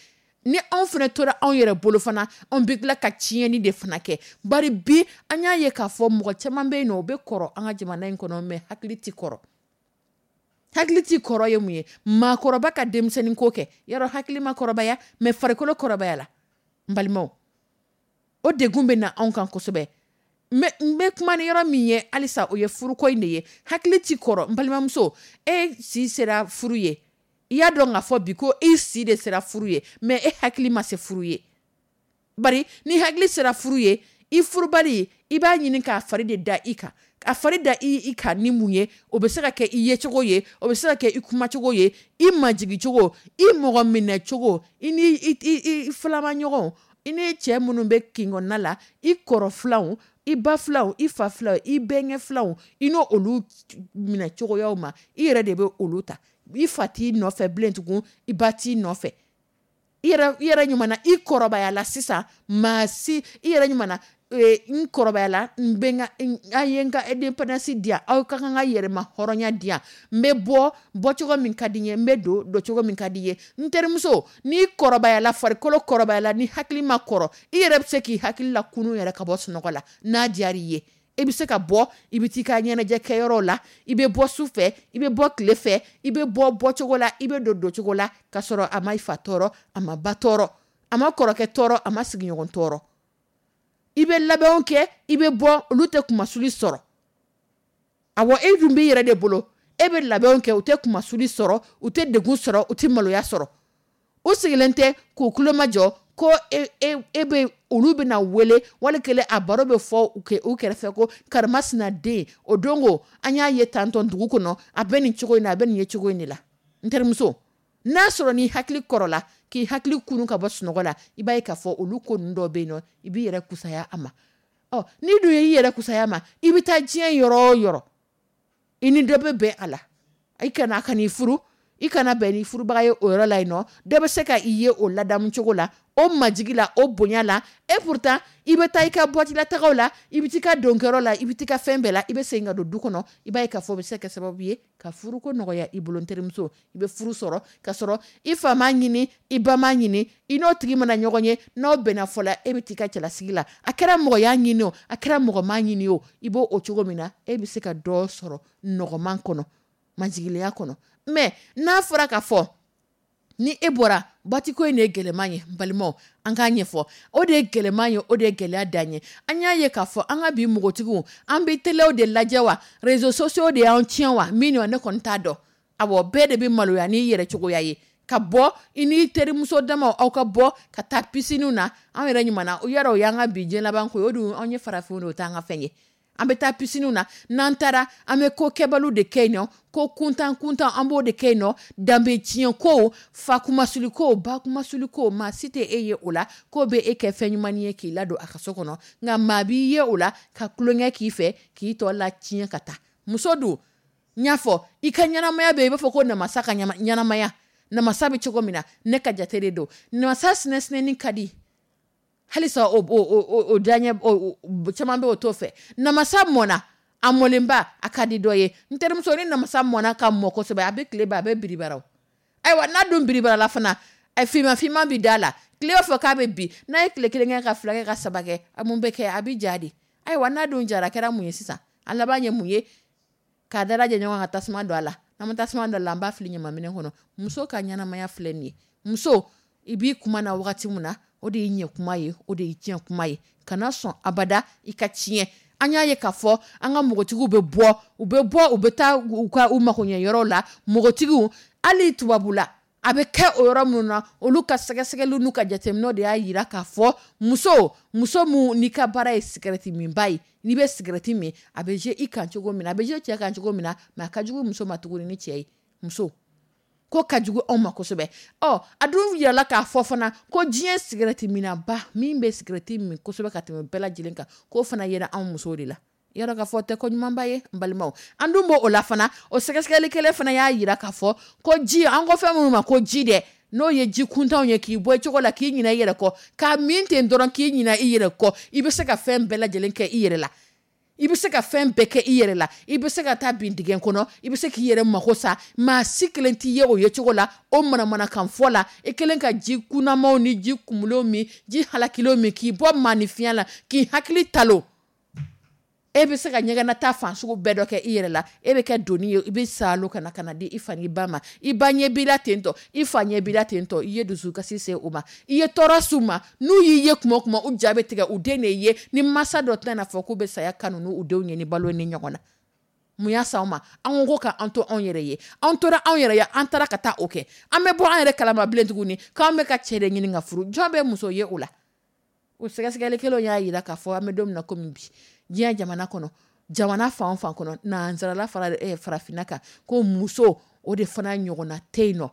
Ni anw fana tora anw yɛrɛ bolo fana, anw bɛ tila ka tiɲɛni de fana kɛ. Bari bi an y'a ye k'a fɔ mɔgɔ caman bɛ yen nɔ, o bɛ kɔrɔ an ka jamana in kɔnɔ, mais hakili tɛ kɔrɔ. Hakili tɛ kɔrɔ ye mun ye? Maakɔrɔba ka denmisɛnnin ko kɛ, yarɔ hakili ma kɔrɔbaya, mais farikolo kɔrɔbaya la. N balimaw, o degun bɛ na anw kan kosɛbɛ. N bɛ kuma ni yɔrɔ min ye halisa, o ye furuko in de ye. Hakili ti kɔrɔ. N balimamuso, e si sera furu ye, i y'a dɔn k'a fɔ bi ko i si de sera furu ye, mais e hakili ma se furu ye. Bari ni hakili sera furu ye, i furubali, i b'a ɲini k'a fari de da i kan. A fari da i kan ni mun ye? O bɛ se ka kɛ i yecogo ye, o bɛ se ka kɛ i kumacogo ye, i majigicogo, i mɔgɔ minɛcogo, i ni i filamaɲɔgɔnw, i ni cɛ minnu bɛ kin kɔnɔna la, i kɔrɔ filanw, i ba filanw, i fa filanw, i bɛnkɛ filanw, i n'o olu minɛ cogoyaw ma, i yɛrɛ de bɛ olu ta. I fa t'i nɔfɛ bilen tugun, i ba t'i nɔfɛ. I yɛrɛ ɲuman na, i kɔrɔbaya la sisan, maa si i yɛrɛ ɲuman na. N kɔrɔbayala, n bɛ n ka, a ye n ka indépendance di yan, aw ka kan ka yɛrɛma hɔrɔnya di yan. N bɛ bɔ bɔcogo min ka di n ye, n bɛ don doncogo min ka di n ye. N terimuso, n'i kɔrɔbayala, farikolo kɔrɔbayala, ni hakili ma kɔrɔ, i yɛrɛ bɛ se k'i hakili la kunun yɛrɛ ka bɔ sunɔgɔ la n'a diyara i ye. I bɛ se ka bɔ, i bɛ t'i ka ɲɛnajɛ kɛyɔrɔ la, i bɛ bɔ su fɛ, i bɛ bɔ tile fɛ, i bɛ bɔ bɔcogo la, i bɛ don doncogo la, ka sɔrɔ a ma i fa tɔɔrɔ, a ma ba tɔɔrɔ, a ma kɔrɔkɛ tɔɔrɔ, a ma sigiɲɔgɔn tɔɔrɔ. I bɛ labɛnw kɛ, i bɛ bɔ, olu tɛ kumasuli sɔrɔ. Awɔ, e dun b'i yɛrɛ de bolo, e bɛ labɛnw kɛ, u tɛ kumasuli sɔrɔ, u tɛ degun sɔrɔ, u tɛ maloya sɔrɔ. U sigilen tɛ k'u tulomajɔ ko e, e, e bɛ olu bɛna wele, wali kelen a baro bɛ fɔ u kɛrɛfɛ ko karimasina den, o don ko an y'a ye tantɔn dugu kɔnɔ, a bɛ nin cogo in na, a bɛ nin ye cogo in de la. N terimuso, n'a sɔrɔ n'i hakili kɔrɔla, k'i hakili kunun ka bɔ sunɔgɔ la, i b'a ye k'a fɔ olu ko ninnu dɔw bɛ yen nɔ, i b'i yɛrɛ kusaya a ma. Ɔ, n'i dun y'i yɛrɛ kusaya a ma, i bɛ taa diɲɛ yɔrɔ o yɔrɔ, i ni dɔ bɛ bɛn a la. I kana a kan'i furu, i kana bɛn ni furubaga ye o yɔrɔ la yen nɔ, dɔ bɛ se ka i ye o ladamu cogo la, o majigi la, o bonya la. Et pourtant i bɛ taa i ka boîte la tagaw la, i bɛ t'i ka donkɛyɔrɔ la, i bɛ t'i ka fɛn bɛɛ la, i bɛ segin ka don du kɔnɔ, i b'a ye k'a fɔ o bɛ se ka kɛ sababu ye ka furuko nɔgɔya i bolo. N terimuso, i bɛ furu sɔrɔ ka sɔrɔ i fa m'a ɲini, i ba m'a ɲini, i n'o tigi mana ɲɔgɔn ye, n'aw bɛnna fɔ la, e bɛ t'i ka cɛlasigi la. A kɛra mɔgɔ y'a ɲini o, a kɛra mɔgɔ m'a ɲini o, i b'o o cogo min na, e bɛ se ka dɔ sɔrɔ nɔgɔman kɔnɔ, majiginya kɔnɔ. Mais n'a fɔra k'a fɔ ni e bɔra boîte ko in de ye gɛlɛman ye, n balimaw, an k'a ɲɛfɔ, o de ye gɛlɛman ye, o de ye gɛlɛya dan ye. An y'a ye k'a fɔ an ka bi npogotigiw, an bɛ telew de lajɛ wa, réseaux sociaux de y'an tiɲɛ wa, min ne kɔni t'a dɔn. Awɔ, bɛɛ de bɛ maloya n'i yɛrɛ cogoya ye ka bɔ i n'i terimuso damaw, aw ka bɔ ka taa piscine na. Anw yɛrɛ ɲuman o yɛrɛ, o y'an ka bi diɲɛ laban ko ye, o dun anw ye farafinw de, o t'an ka fɛn ye. An bɛ taa piscine na, n'an taara an bɛ ko kɛbaliw de kɛ yen nɔ, ko kuntan kuntan an b'o de kɛ yen nɔ, danbe tiɲɛ ko, fa kumasuli ko, ba kumasuli ko, maa si tɛ e ye o la k'o bɛ e kɛ fɛn ɲuman ye k'i ladon a ka so kɔnɔ, nka maa b'i ye o la ka tulonkɛ k'i fɛ, k'i tɔ la tiɲɛ ka taa. Muso dun, n y'a fɔ, i ka ɲɛnamaya bɛ i b'a fɔ ko namasa ka ɲɛnamaya, namasa bɛ cogo min na, ne ka jate de don, namasa sinɛsinɛni ka di halisa, o diyaɲɛ caman bɛ o t'o fɛ. Namasa mɔnna, a mɔlenba a ka di dɔ ye. N terimuso, ni namasa mɔnna ka mɔ kosɛbɛ, a bɛ tile ban, a bɛ biribara. Ayiwa, n'a dun biribara la fana, finman finman bɛ da la, tile b'a fɔ k'a bɛ bin, n'a ye tile kelen kɛ ka fila kɛ ka saba kɛ, a mun bɛ kɛ, a bɛ ja de. Ayiwa, n'a dun jara, a kɛra mun ye sisan? A laban ye mun ye? K'a dalajɛ ɲɔgɔn ka tasuma don a la. N'an ma tasuma don a la, an b'a fili ɲamanminɛn kɔnɔ. Muso ka ɲɛnamaya filɛ nin ye. Muso, i b'i kuma na wagati min na, o de ye ɲɛ kuma ye, o de ye tiɲɛ kuma ye. Kana sɔn abada i ka tiɲɛ. An y'a ye k'a fɔ an ka npogotigiw bɛ bɔ, u bɛ bɔ, u bɛ taa u ka u makoɲɛ yɔrɔw la. Npogotigiw, hali tubabu la, a bɛ kɛ o yɔrɔ minnu na, olu ka sɛgɛsɛgɛliw n'u ka jateminɛw de y'a jira k'a fɔ muso, muso mun n'i ka baara ye sigɛrɛti minba ye, n'i bɛ sigɛrɛti min, a bɛ jouer i kan cogo min na, a bɛ jouer cɛ kan cogo min na, mais a ka jugu muso ma tuguni ni cɛ ye. Muso ko ka jugu anw ma kosɛbɛ. Ɔ, a dun yirala k'a fɔ fana ko diɲɛ sigɛrɛti minaba min bɛ sigɛrɛti min kosɛbɛ ka tɛmɛ bɛɛ lajɛlen kan, k'o fana yera anw musow de la. Yɔrɔ k'a fɔ tɛ ko ɲumanba ye, n balimaw. An dun b'o la fana, o sɛgɛsɛgɛli kelen fana y'a yira k'a fɔ ko ji, an ko fɛn minnu ma ko ji dɛ, n'o ye ji kuntanw ye, k'i bɔ i cogo la, k'i ɲinɛ i yɛrɛ kɔ, k'a min ten dɔrɔn k'i ɲinɛ i yɛrɛ kɔ, i bɛ se ka fɛn bɛɛ lajɛlen kɛ i yɛrɛ la. I bɛ se ka fɛn bɛɛ kɛ i yɛrɛ la, i bɛ se ka taa bin dingɛ kɔnɔ, i bɛ se k'i yɛrɛ mako sa, maa si kelen t'i ye o ye cogo la, o manamanakan fɔ la, i kelen ka ji kunnamaw ni ji kumulenw min, ji halakilenw min, k'i bɔ maanifinya la, k'i hakili talo. E bɛ se ka ɲɛgɛnata fan sugu bɛɛ dɔ kɛ i yɛrɛ la, e bɛ kɛ doni ye, i bɛ saalo ka na ka na di i fa n'i ba ma, i ba ɲɛ b'i la ten tɔ, i fa ɲɛ b'i la ten tɔ, i ye dusukasi se u ma, i ye tɔɔrɔ s'u ma, n'u y'i ye kuma o kuma, u ja bɛ tigɛ, u den de ye, ni mansa dɔ tɛna fɔ k'u bɛ saya kanu n'u denw ye ni balo ni ɲɔgɔn na. Mun y'a s'anw ma? An ko k'an to anw yɛrɛ ye, an tora anw yɛrɛ ye, an taara ka taa o kɛ, an bɛ bɔ an yɛrɛ kalama bilen tuguni k'an bɛ ka cɛ de ɲini ka furu, jɔn bɛ muso ye o la? O sɛgɛsɛgɛli kelen y'a jira k'a fɔ an bɛ don min na komi bi, diɲɛ jamana kɔnɔ, jamana fan o fan kɔnɔ, nansarala fara farafinna kan, ko muso o de fana ɲɔgɔnna tɛ yen nɔ.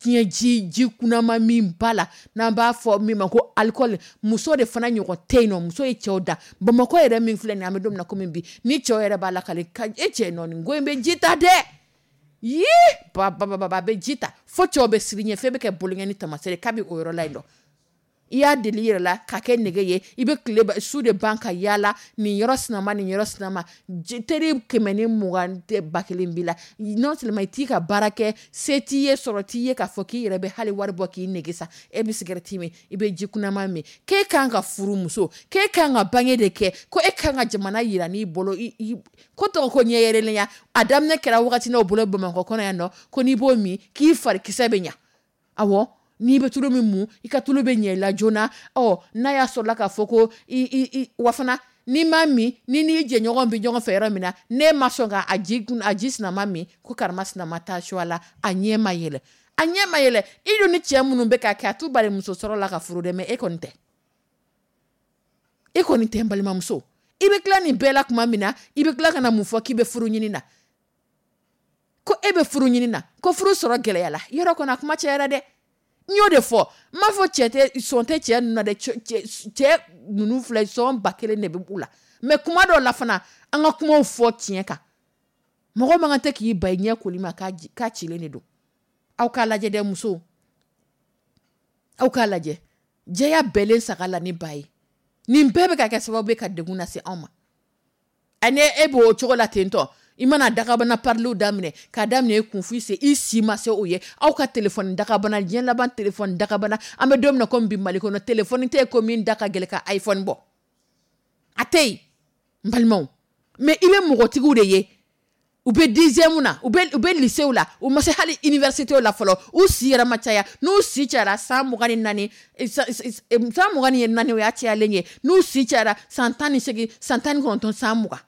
Diɲɛ ji kunnama min ba la, n'an b'a fɔ min ma ko alikɔli, muso de fana ɲɔgɔn tɛ yen nɔ. Muso ye cɛw da. Bamakɔ yɛrɛ min filɛ nin ye, an bɛ don min na komi bi, ni cɛw yɛrɛ b'a la k'ale ka e cɛ nɔ nin ko in bɛ ji ta dɛ, yii ba ba ba ba, a bɛ ji ta fo cɛw bɛ siran ɲɛ, fɛn bɛ kɛ bolonkɛni taamasere kabi o yɔrɔ la yen nɔ. I y'a deli yɛrɛ la ka kɛ nɛgɛ ye. I bɛ tile su de ban ka yaala nin yɔrɔ sinama, nin yɔrɔ sinama. Teri 120 tɛ 1000 b'i la. Non seulement i t'i ka baara kɛ, se t'i ye, sɔrɔ t'i ye k'a fɔ k'i yɛrɛ bɛ hali wari bɔ k'i nɛgɛ sa. E bɛ sigɛrɛti min, i bɛ ji kunaman min. K'e kan ka furu muso, k'e kan ka bange de kɛ, ko e kan ka jamana yira n'i bolo, ko tɔgɔ ko ɲɛ yɛrɛlenya. A daminɛ kɛra wagati n'o bolo Bamakɔ kɔnɔ yan nɔ, ko n'i b'o min k'i farikisɛ bɛ ɲa. Awɔ, n'i bɛ tulu min mun, i ka tulu bɛ ɲɛ i la joona. Ɔ, n'a y'a sɔrɔla k'a fɔ ko i wa fana n'i m'a min, ni n'i jɛɲɔgɔn bɛ ɲɔgɔn fɛ yɔrɔ min na, n'e ma sɔn ka a ji sinama min, ko karima sinama taa su a la, a ɲɛ ma yɛlɛ. A ɲɛ ma yɛlɛ. I dun ni cɛ minnu bɛ ka kɛ, a t'u bali muso sɔrɔ la ka furu dɛ, mais e kɔni tɛ. E kɔni tɛ, n balimamuso. I bɛ tila nin bɛɛ la tuma min na, i bɛ tila ka na mun fɔ k'i bɛ furu ɲini na? Ko e bɛ furu ɲini na, ko furu sɔrɔ gɛlɛya la. Yɔrɔ kɔni a kuma cayara dɛ. N y'o de fɔ, n m'a fɔ cɛ tɛ, sɔn tɛ cɛ ninnu na dɛ. Cɛ ninnu filɛ, sɔn 1000 de bɛ u la. Mais kuma dɔw la fana, an ka kumaw fɔ tiɲɛ kan. Mɔgɔ man kan tɛ k'i ba i ɲɛ koli ma k'a cilen de don. Aw k'a lajɛ dɛ, musow. Aw k'a lajɛ. Jɛya bɛɛlen saga la ni ba ye. Nin bɛɛ bɛ ka kɛ sababu ye ka degun lase anw ma. Ani e b'o cogo la ten tɔ, i mana dagabana pariliw daminɛ, k'a daminɛ e kun f'i se, i si ma se o ye. Aw ka telefɔni dagabana, diɲɛ laban telefɔni dagabana, an bɛ don min na komi bi Mali kɔnɔ, telefɔni tɛ yen ko min da ka gɛlɛn ka iPhone bɔ. A tɛ yen, n balimaw. Mais i bɛ mɔgɔtigiw de ye, u bɛ dixième na, u bɛ lycée la, u ma se hali université la fɔlɔ, u si yɛrɛ ma caya. N'u si cayara san 24, san 24, o y'a cayalen ye. N'u si cayara san 18, san 19, san 20.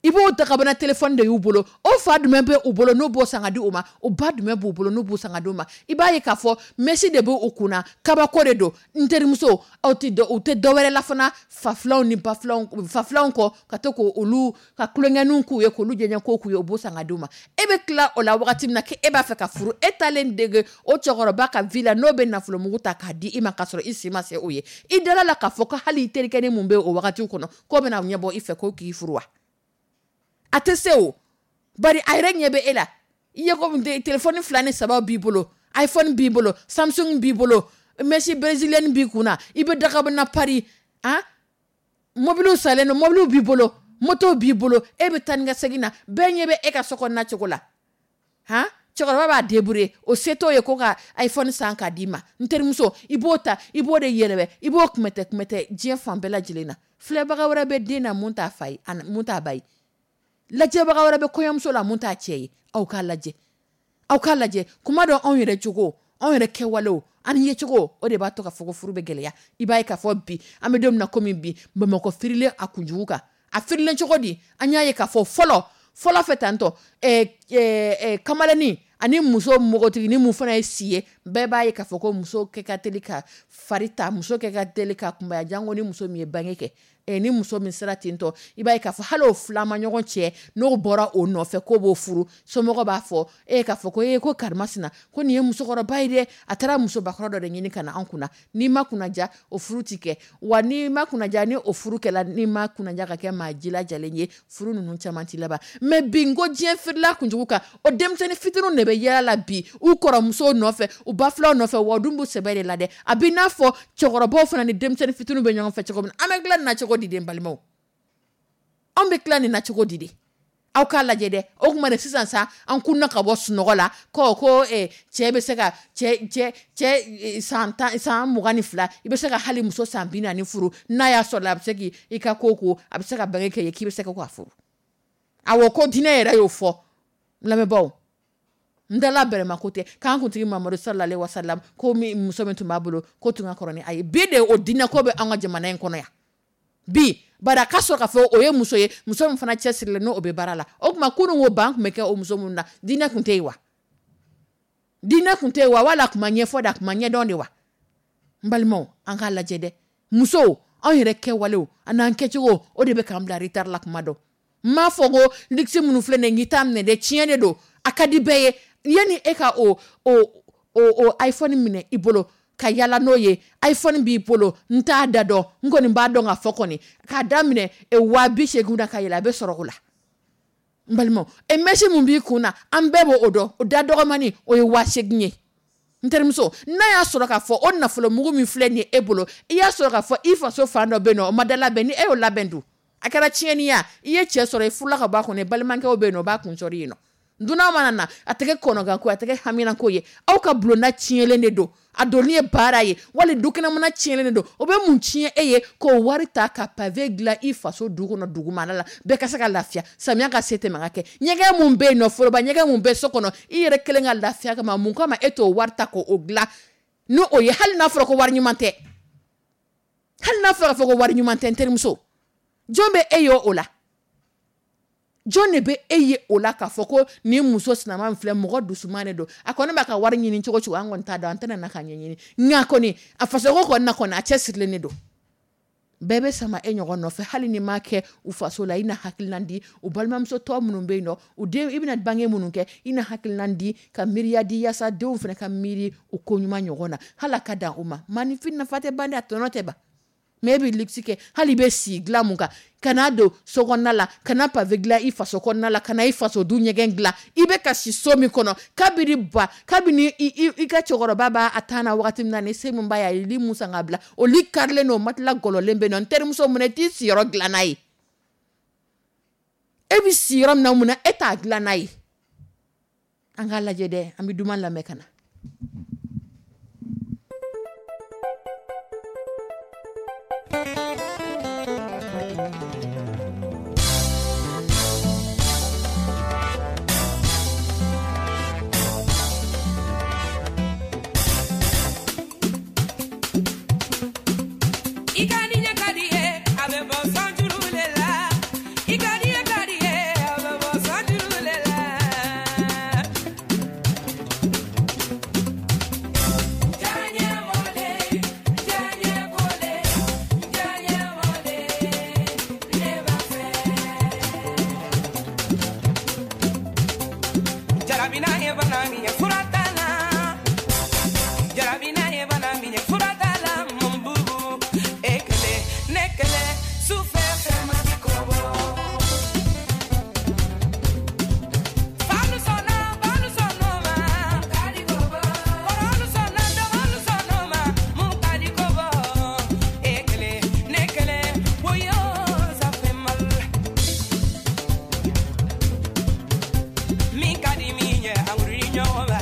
I b'o dagabana telefɔni de y'u bolo. O fa jumɛn bɛ u bolo n'u b'o san ka di u ma? O ba jumɛn b'u bolo n'u b'o san ka di u ma? I b'a ye k'a fɔ mèche de b'u kunna, kabako de don. N terimuso, aw tɛ dɔ, u tɛ dɔ wɛrɛ la fana fa filanw ni ba filanw, fa filanw kɔ, ka to k'olu ka tulonkɛninw k'u ye, k'olu jɛɲɛ ko k'u ye, u b'o san ka di u ma. E bɛ tila o la wagati min na k'e b'a fɛ ka furu, e taalen dege o cɛkɔrɔba ka vie la, n'o bɛ nafolomugu ta k'a di i ma k'a sɔrɔ i si ma se o ye. I dala la k'a fɔ ko hali i terikɛnin mun bɛ o wagatiw kɔnɔ, k'o bɛna ɲɛbɔ i fɛ ko k'i furu wa? A tɛ se o. Bari a yɛrɛ ɲɛ bɛ e la. I ye ko telefɔni 2 ni 3 b'i bolo, iPhone b'i bolo, Samsung b'i bolo, mèche brésilienne b'i kunna, i bɛ dagabana Paris, han? Mobiliw salen don, mobiliw b'i bolo, motow b'i bolo, e bɛ taa ni ka segin na, bɛɛ ɲɛ bɛ e ka so kɔnɔna cogo la. Han? Cɛkɔrɔba b'a débrouiller, o se t'o ye ko ka iPhone san k'a d'i ma. N terimuso, i b'o ta, i b'o de yɛlɛbɛ, i b'o kumɛtɛ kumɛtɛ diɲɛ fan bɛɛ lajɛlen na. Filɛbaga wɛrɛ bɛ den na mun t'a fa ye, mun t'a ba ye. Lajɛbaga wɛrɛ bɛ kɔɲɔmuso la mun t'a cɛ ye. Aw k'a lajɛ. Aw k'a lajɛ. Kuma dɔ anw yɛrɛ cogo, anw yɛrɛ kɛwalew, an ye cogo, o de b'a to ka fɔ ko furu bɛ gɛlɛya. I b'a ye k'a fɔ bi, an bɛ don min na komi bi, Bamakɔ firilen a kunjugu kan. A firilen cogo di? An y'a ye k'a fɔ fɔlɔ, fɔlɔ fɛ tantɔ, kamalennin ani muso npogotiginin mun fana ye si ye, bɛɛ b'a ye k'a fɔ ko muso kɛ ka teli ka fari ta, muso kɛ ka teli ka kunbaya, jango ni muso min ye bange kɛ. Ni muso min sera ten tɔ, i b'a ye k'a fɔ hali o fila ma ɲɔgɔn cɛ, n'o bɔra o nɔfɛ k'o b'o furu, somɔgɔw b'a fɔ e k'a fɔ ko e ko karimasina, ko nin ye musokɔrɔba ye dɛ, a taara musobakɔrɔ dɔ de ɲini ka na an kunna. N'i ma kunnaja, o furu ti kɛ. Wa n'i ma kunnaja, ni o furu kɛla, n'i ma kunnaja ka kɛ maa jilajalen ye, furu ninnu caman ti laban. Mais bi n ko diɲɛ firila kunjugu kan, o denmisɛnnin fitininw de bɛ yaala la bi, u kɔrɔmusow nɔfɛ, u ba filaw nɔfɛ, wa u dun b'u sɛbɛ de la dɛ. A b'i n'a fɔ cɛkɔrɔbaw fana ni denmisɛnnin fitininw bɛ ɲɔgɔn fɛ cogo min na. An bɛ tila nin na cogo di den balimaw? Anw bɛ tila nin na cogo di de? Aw k'a lajɛ dɛ. O tuma de sisan sa, an kunna ka bɔ sunɔgɔ la, ko, cɛ bɛ se ka, cɛ, cɛ, cɛ, san tan, san 22, i bɛ se ka hali muso san 40 furu, n'a y'a sɔrɔ la, a bɛ se k'i, i ka ko ko, a bɛ se ka bange kɛ ye, k'i bɛ se ka k'a furu. Awɔ, ko diinɛ yɛrɛ y'o fɔ. N lamɛnbaaw, n dala bɛrɛma ko tɛ, k'an kuntigi Mamadu sallallahu alaihi wasallam, ko min, muso min tun b'a bolo, ko tun ka kɔrɔ ni a ye. Bi de o diinɛ ko bɛ an ka jamana in kɔnɔ yan. Bi, bari a ka sɔrɔ k'a fɔ o ye muso ye, muso min fana cɛsirilen n'o bɛ baara la. O tuma kunun ko ban tun bɛ kɛ o muso minnu na, diinɛ tun tɛ yen wa? Diinɛ tun tɛ yen wa? Wala a tun ma ɲɛfɔ de, a tun ma ɲɛdɔn de wa? N balimaw, an k'a lajɛ dɛ. Musow, anw yɛrɛ kɛwalew, an n'an kɛcogo, o de bɛ k'an bila retard la kuma dɔ. N m'a fɔ ko luxe minnu filɛ nin ye, n k'i t'a minɛ dɛ, tiɲɛ de don. A ka di bɛɛ ye. Yanni e ka o iPhone minɛ i bolo, ka yala n'o ye, iPhone b'i bolo, n t'a da dɔn, n kɔni b'a dɔn k'a fɔ kɔni, k'a daminɛ, 80 000 na ka yɛlɛ, a bɛ sɔrɔ o la. N balimaw, mèche mun b'i kun na, an bɛɛ b'o dɔn, o da dɔgɔmani, o ye 8000 ye. N terimuso, n'a y'a sɔrɔ k'a fɔ o nafolo mugu min filɛ nin ye e bolo, i y'a sɔrɔ k'a fɔ i faso fan dɔ bɛ yen nɔ, o ma da labɛn, ni e y'o labɛn dun, a kɛra tiɲɛni ye, i ye cɛ sɔrɔ, i furula ka bɔ a kɔnɔ, balimakɛw bɛ yen nɔ, o b'a kun sɔrɔ yen nɔ. Dunan mana na, a tɛ kɛ kɔnɔganko, a tɛ kɛ haminanko ye. Aw ka bulonda tiɲɛlen de don, a donni ye baara ye, wali dukɛnɛmana tiɲɛlen de don. O bɛ mun tiɲɛ e ye k'o wari ta ka pavé dilan i faso du kɔnɔ, dugumana la, bɛɛ ka se ka lafiya, samiya ka se tɛmɛ ka kɛ. Ɲɛgɛn mun bɛ yen nɔ, foroba ɲɛgɛn mun bɛ so kɔnɔ, i yɛrɛ kelen ka lafiya kama, mun kama e t'o wari ta k'o dilan n'o o ye? Hali n'a fɔra ko wari ɲuman tɛ, hali n'a fɔra ko wari ɲuman tɛ, n terimuso, jɔn bɛ e ye o la? Jɔn de bɛ e ye o la k'a fɔ ko nin muso sinama filɛ, mɔgɔ dusuman de don, a kɔni b'a ka wari ɲini cogo cogo, an kɔni t'a dɔn, an tɛna na k'a ɲɛɲini, nka kɔni a fasoko kɔni na kɔni a cɛ sirilen de don. Bɛɛ bɛ sama e ɲɔgɔn nɔfɛ, hali ni m'a kɛ u faso la, i na hakilina di u balimamuso tɔ minnu bɛ yen nɔ, u den i bɛna bange minnu kɛ, i na hakilina di ka miiriya di, yaasa denw fana ka miiri u ko ɲuman ɲɔgɔn na, hali a ka dan u ma. Maaninfin nafa tɛ ban dɛ, a tɔnɔ tɛ ban. Mais e bɛ luxe kɛ, hali i bɛ si dilan mun kan, kana don so kɔnɔna la, kana pavé dilan i faso kɔnɔna la, kana i faso du ɲɛgɛn dilan, i bɛ ka si so min kɔnɔ kabini ba, kabini i ka cɛkɔrɔba b'a a tan na wagati min na, ni se min b'a ye, a ye lit mun san ka bila, o lit karilen don, o matelas gɔlɔlen bɛ yen nɔ. N terimuso, mun na i t'i siyɔrɔ dilan n'a ye? E bɛ si yɔrɔ min na, mun na e t'a dilan n'a ye? An k'a lajɛ dɛ, an bɛ duman lamɛn ka na. I ka di ɲɛ ka di ye, a bɛ bɔ sanjuru le la. I ka di ɲɛ ka di ye, a bɛ bɔ sanjuru le la. Jaɲɛ wale, jaɲɛ wale, jaɲɛ wale, ne b'a fɛ. Jarabina ye bana min ye, fura t'a la. Jarabina ye bana min ye, fura t'a la. Mun bubu, e kelen, ne kelen, sufɛ fɛn ma di kɔbɔ. Falu sɔnna, balu sɔnna ma, ka di kɔbɔ. Kɔrɔlu sɔnna, dɔgɔlu sɔnna ma, mun ka di kɔbɔ. E kelen, ne kelen, woyo, ça fait mal. Min ka di min ye, an wuli ɲɔgɔn ma.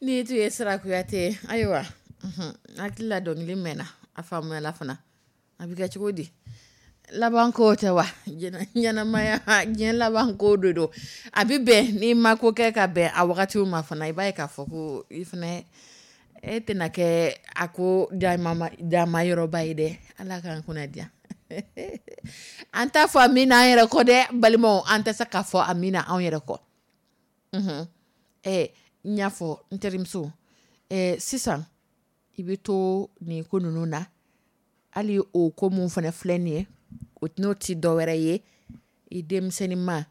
Ni tun ye Sira Kuyate. Ayiwa, hakili la dɔnkili mɛnna, a faamuyala fana. A bɛ kɛ cogo di? Laban ko tɛ wa? Ɲɛnamaya, diɲɛ laban ko de don. A bɛ bɛn n'i ma ko kɛ ka bɛn a wagati ma fana, i b'a ye k'a fɔ ko i fana e tɛna kɛ a ko dama yɔrɔba ye dɛ. Ala k'an kunna diya. An t'a fɔ amina an yɛrɛ kɔ dɛ, balimaw, an tɛ se k'a fɔ amina anw yɛrɛ kɔ. N y'a fɔ n terimuso, sisan i bɛ to nin ko ninnu na, hali o ko mun fana filɛ nin ye, o n'o tɛ dɔwɛrɛ ye, i denmisɛnninma,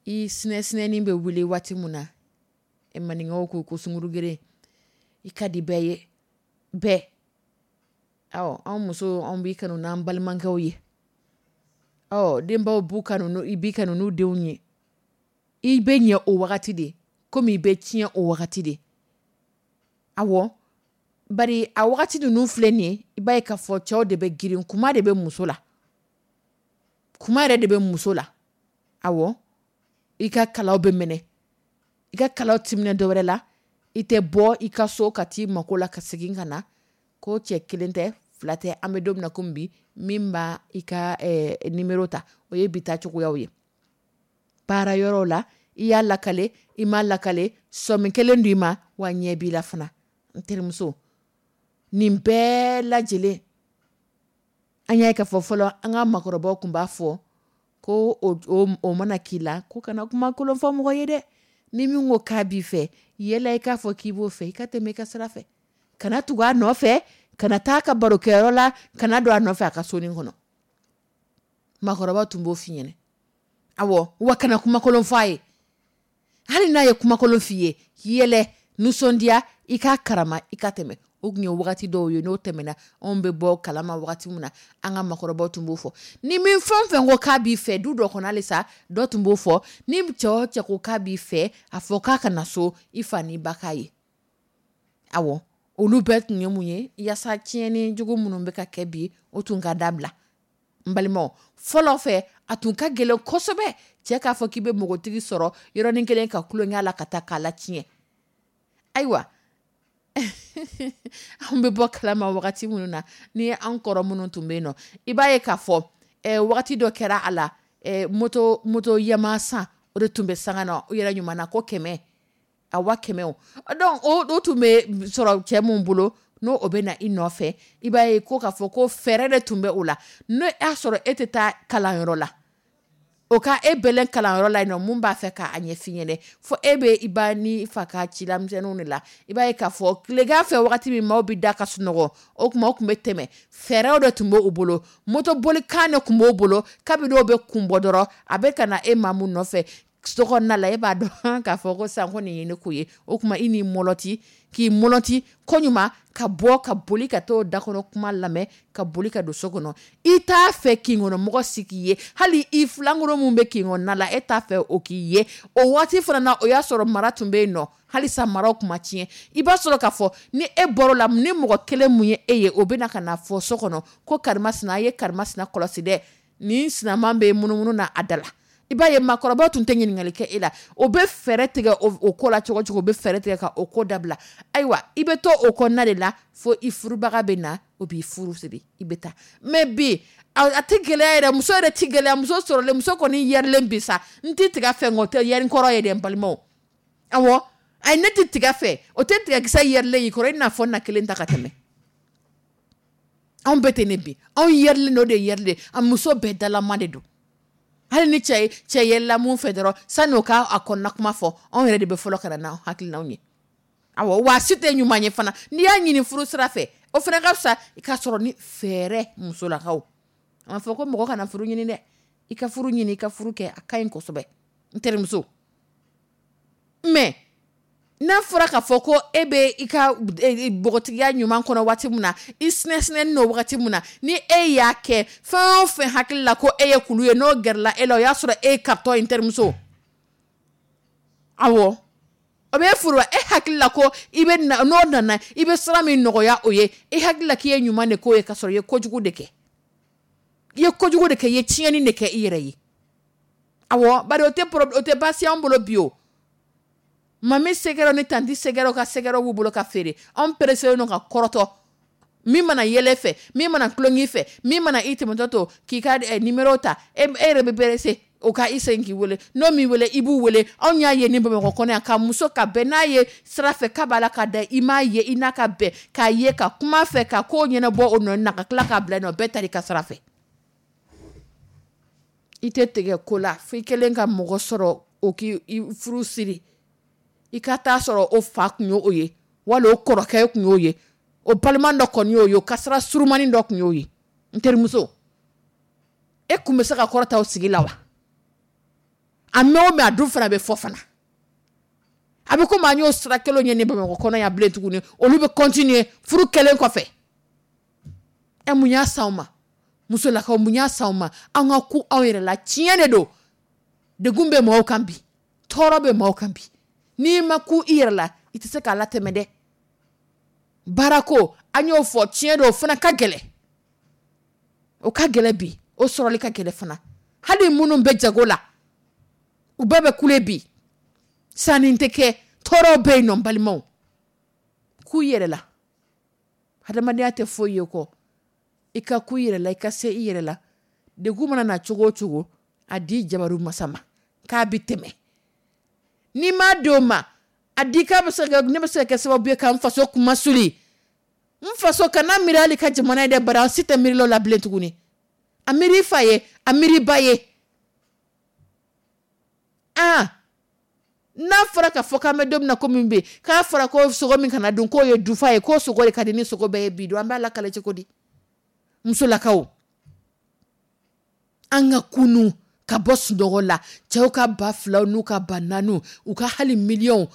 i sinɛsinɛnin bɛ wuli waati min na, maninkaw ko sungurugeren, i ka di bɛɛ ye, bɛɛ. Awɔ, anw musow, anw b'i kanu n'an balimakɛw ye. Ɔ, denbaw b'u kanu, i b'i kanu n'u denw ye. I bɛ ɲɛ o wagati de, komi i bɛ tiɲɛ o wagati de. Awɔ, bari a wagati ninnu filɛ nin ye, i b'a ye k'a fɔ cɛw de bɛ girin, kuma de bɛ muso la. Kuma yɛrɛ de bɛ muso la. Awɔ, i ka kalaw bɛ minɛ. I ka kalaw ti minɛ dɔwɛrɛ la, i tɛ bɔ i ka so ka t'i mako la ka segin ka na, ko cɛ kelen tɛ, fila tɛ, an bɛ don min na komi bi, min b'a i ka numéro ta, o ye bi ta cogoyaw ye. Baara yɔrɔ la, i y'a lakale, i m'a lakale, sɔmi kelen don i ma, wa ɲɛ b'i la fana. N terimuso, nin bɛɛ lajɛlen, an y'a ye k'a fɔ fɔlɔ, an ka makɔrɔbaw tun b'a fɔ ko o mana k'i la, ko kana kuma kolon fɔ mɔgɔ ye dɛ. Ni min ko k'a b'i fɛ, yɛlɛ i k'a fɔ k'i b'o fɛ, i ka tɛmɛ i ka sira fɛ. Kana tugu a nɔfɛ, kana taa ka barokɛyɔrɔ la, kana don a nɔfɛ a ka sonin kɔnɔ. Makɔrɔba tun b'o f'i ɲɛna. Awɔ, wa kana kumakolon fɔ a ye. Hali n'a ye kumakolon f'i ye, yɛlɛ, nisɔndiya, i k'a karama, i ka tɛmɛ. O tun ye wagati dɔw ye, n'o tɛmɛna, anw bɛ bɔ kalama wagati min na, an ka makɔrɔbaw tun b'o fɔ. Ni min fɛn o fɛn ko k'a b'i fɛ, du dɔ kɔnɔ halisa, dɔ tun b'o fɔ, ni cɛ o cɛ ko k'a b'i fɛ, a fɔ k'a ka na so, i fa n'i ba k'a ye. Awɔ, olu bɛɛ tun ye mun ye, yaasa tiɲɛni jugu minnu bɛ ka kɛ bi, o tun ka dabila. N balimaw, fɔlɔ fɛ, a tun ka gɛlɛn kosɛbɛ, cɛ k'a fɔ k'i bɛ npogotigi sɔrɔ yɔrɔnin kelen ka tulonkɛ la ka taa k'a la tiɲɛ. Ayiwa, an bɛ bɔ kalama wagati minnu na, ni an kɔrɔ minnu tun bɛ yen nɔ, i b'a ye k'a fɔ wagati dɔ kɛra a la, moto yama san, o de tun bɛ sanga na, u yɛrɛ ɲuman na ko 100, a 100 o. Donc o tun bɛ sɔrɔ cɛ mun bolo, n'o o bɛ na i nɔfɛ, i b'a ye ko k'a fɔ ko fɛɛrɛ de tun bɛ o la. N'o y'a sɔrɔ e tɛ taa kalanyɔrɔ la, o ka e bɛlɛn kalanyɔrɔ la yen nɔ, mun b'a fɛ k'a ɲɛf'i ɲɛnɛ, fo e bɛ i ba ni fa ka cilamisɛnninw de la. I b'a ye k'a fɔ tilegan fɛ wagati min maaw bɛ da ka sunɔgɔ, o tuma o tun bɛ tɛmɛ. Fɛɛrɛw de tun b'o bolo, motobolikan de tun b'o bolo, kabini o bɛ kun bɔ dɔrɔn, a bɛ ka na e maa mun nɔfɛ so kɔnɔna la, e b'a dɔn k'a fɔ ko sisan ko nin ye ne ko ye. O tuma i n'i mɔlɔti, k'i mɔlɔti ko ɲuman, ka bɔ ka boli ka t'o da kɔnɔ kuma lamɛn, ka boli ka don so kɔnɔ. I t'a fɛ kin kɔnɔ mɔgɔ si k'i ye, hali i filankɔrɔ mun bɛ kin kɔnɔna la, e t'a fɛ o k'i ye. O waati fana na, o y'a sɔrɔ mara tun bɛ yen nɔ, halisa maraw tun ma tiɲɛ. I b'a sɔrɔ k'a fɔ ni e bɔr'o la, ni mɔgɔ kelen mun ye e ye, o bɛ na ka na fɔ so kɔnɔ ko karimasina, a ye karimasina kɔlɔsi dɛ, nin sinaman bɛ munumunu na a da la. I b'a ye maakɔrɔbaw tun tɛ ɲininkali kɛ e la, o bɛ fɛɛrɛ tigɛ o ko la cogo cogo, o bɛ fɛɛrɛ tigɛ ka o ko dabila. Ayiwa, i bɛ to o kɔnɔna de la fo i furubaga bɛ na, o b'i furu siri, i bɛ taa. Mais bi a tɛ gɛlɛya yɛrɛ, muso yɛrɛ tɛ gɛlɛya, muso sɔrɔlen, muso kɔni yɛrilen bi sa, n tɛ tiga fɛ, nka o tɛ yɛri kɔrɔ ye dɛ, n balimaw. Awɔ, ayi, ne tɛ tiga fɛ, o tɛ tigakisɛ yɛrilen y'i kɔrɔ, i n'a fɔ na kelen ta ka tɛmɛ. Anw bɛɛ tɛ ne bi, anw yɛrilen o de yɛrilen, a muso bɛɛ dalama de don. Hali ni cɛ yɛlɛla mun fɛ dɔrɔn, sani o k'a kɔnɔna kuma fɔ, anw yɛrɛ de bɛ fɔlɔ ka na n'an hakilinaw ye. Awɔ, wa si tɛ ɲuman ye fana, n'i y'a ɲini furu sira fɛ, o fana ka fisa i ka sɔrɔ ni fɛɛrɛ musolakaw. A ma fɔ ko mɔgɔ kana furu ɲini dɛ, i ka furu ɲini, i ka furu kɛ, a ka ɲi kosɛbɛ, n terimuso. Mais n'a fɔra k'a fɔ ko e bɛ i ka npogotigiya ɲuman kɔnɔ waati min na, i sinɛsinɛnin don wagati min na, ni e y'a kɛ fɛn o fɛn hakili la ko e ye kulu ye, n'o gɛrɛla e la, o y'a sɔrɔ e ye karitɔ ye, n terimuso. Awɔ, o bɛ furu e hakili la ko i bɛ na, n'o nana i bɛ sira min nɔgɔya o ye, i hakili la k'i ye ɲuman de k'o ye, k'a sɔrɔ i ye kojugu de kɛ. I ye kojugu de kɛ, i ye tiɲɛni de kɛ i yɛrɛ ye. Awɔ, bari o tɛ baasi y'an bolo bi o. Mami sɛgɛrɛ ni tanti sɛgɛrɛ ka sɛgɛrɛ b'u bolo ka feere. Anw pereselen don ka kɔrɔtɔ. Min mana yɛlɛ fɛ, min mana tulonk'i fɛ, min mana i tɛmɛtɔ to k'i ka numéro ta, e yɛrɛ bɛ pressé o ka i segin k'i wele. N'o m'i wele, i b'u wele. Anw y'a ye ni Bamakɔ kɔnɔ yan, ka muso ka bɛn n'a ye sira fɛ k'a b'a la ka da, i m'a ye, i n'a ka bɛn, k'a ye, ka kuma fɛ, ka ko ɲɛnabɔ o nɔ na, ka tila k'a bila nɔ, bɛɛ taara i ka sira fɛ. I tɛ tigɛ ko la fo i kɛlen ka mɔgɔ sɔrɔ o k'i furu siri. I ka taa sɔrɔ o fa tun y'o ye, wala o kɔrɔkɛ tun y'o ye, o balima dɔ kɔni y'o ye, o kasara surumani dɔ tun y'o ye. N terimuso, e kun bɛ se ka kɔrɔta o sigi la wa? A mɛn o mɛn, a dun fana bɛ fɔ fana. A bɛ komi an y'o sira kelen ye ni Bamakɔ kɔnɔ yan bilen tuguni. Olu bɛ continuer furu kɛlen kɔfɛ. Ɛ, mun y'a s'anw ma? Musolakaw, mun y'a s'anw ma? An ka ku anw yɛrɛ la. Tiɲɛ de don, degun bɛ mɔgɔw kan bi, tɔɔrɔ bɛ mɔgɔw kan bi. N'i ma ku i yɛrɛ la, i tɛ se k'a latɛmɛ dɛ. Baarako, an y'o fɔ, tiɲɛ don, o fana ka gɛlɛn. O ka gɛlɛn bi, o sɔrɔli ka gɛlɛn fana. Hali minnu bɛ jago la, u bɛɛ bɛ kule bi. Sanni tɛ kɛ, tɔɔrɔ bɛ yen nɔ. N balimaw, k'u yɛrɛ la, hadamadenya tɛ foyi ye kɔ i ka ku i yɛrɛ la, i ka se i yɛrɛ la. Degun mana na cogo o cogo, a di jabaru masa ma k'a bɛ tɛmɛ. N'i m'a di o ma, a di k'a bɛ se ka, ne bɛ se ka kɛ sababu ye ka n faso kumasuli. N faso kana miiri hali ka jamana ye dɛ, bari an si tɛ miiri la bilen tuguni. A miiri i fa ye, a miiri i ba ye. Aa, n'a fɔra ka fɔ k'an bɛ don min na komi bi, k'a fɔra ko sogo min kana dun, k'o ye dufa ye, k'o sogo de ka di ni sogo bɛɛ ye bi don, an b'a lakale cogo di? Musolakaw, an ka kunu ka bɔ sunɔgɔ la. Cɛw ka 2000 n'u ka 4000, u ka hali miliyɔnw,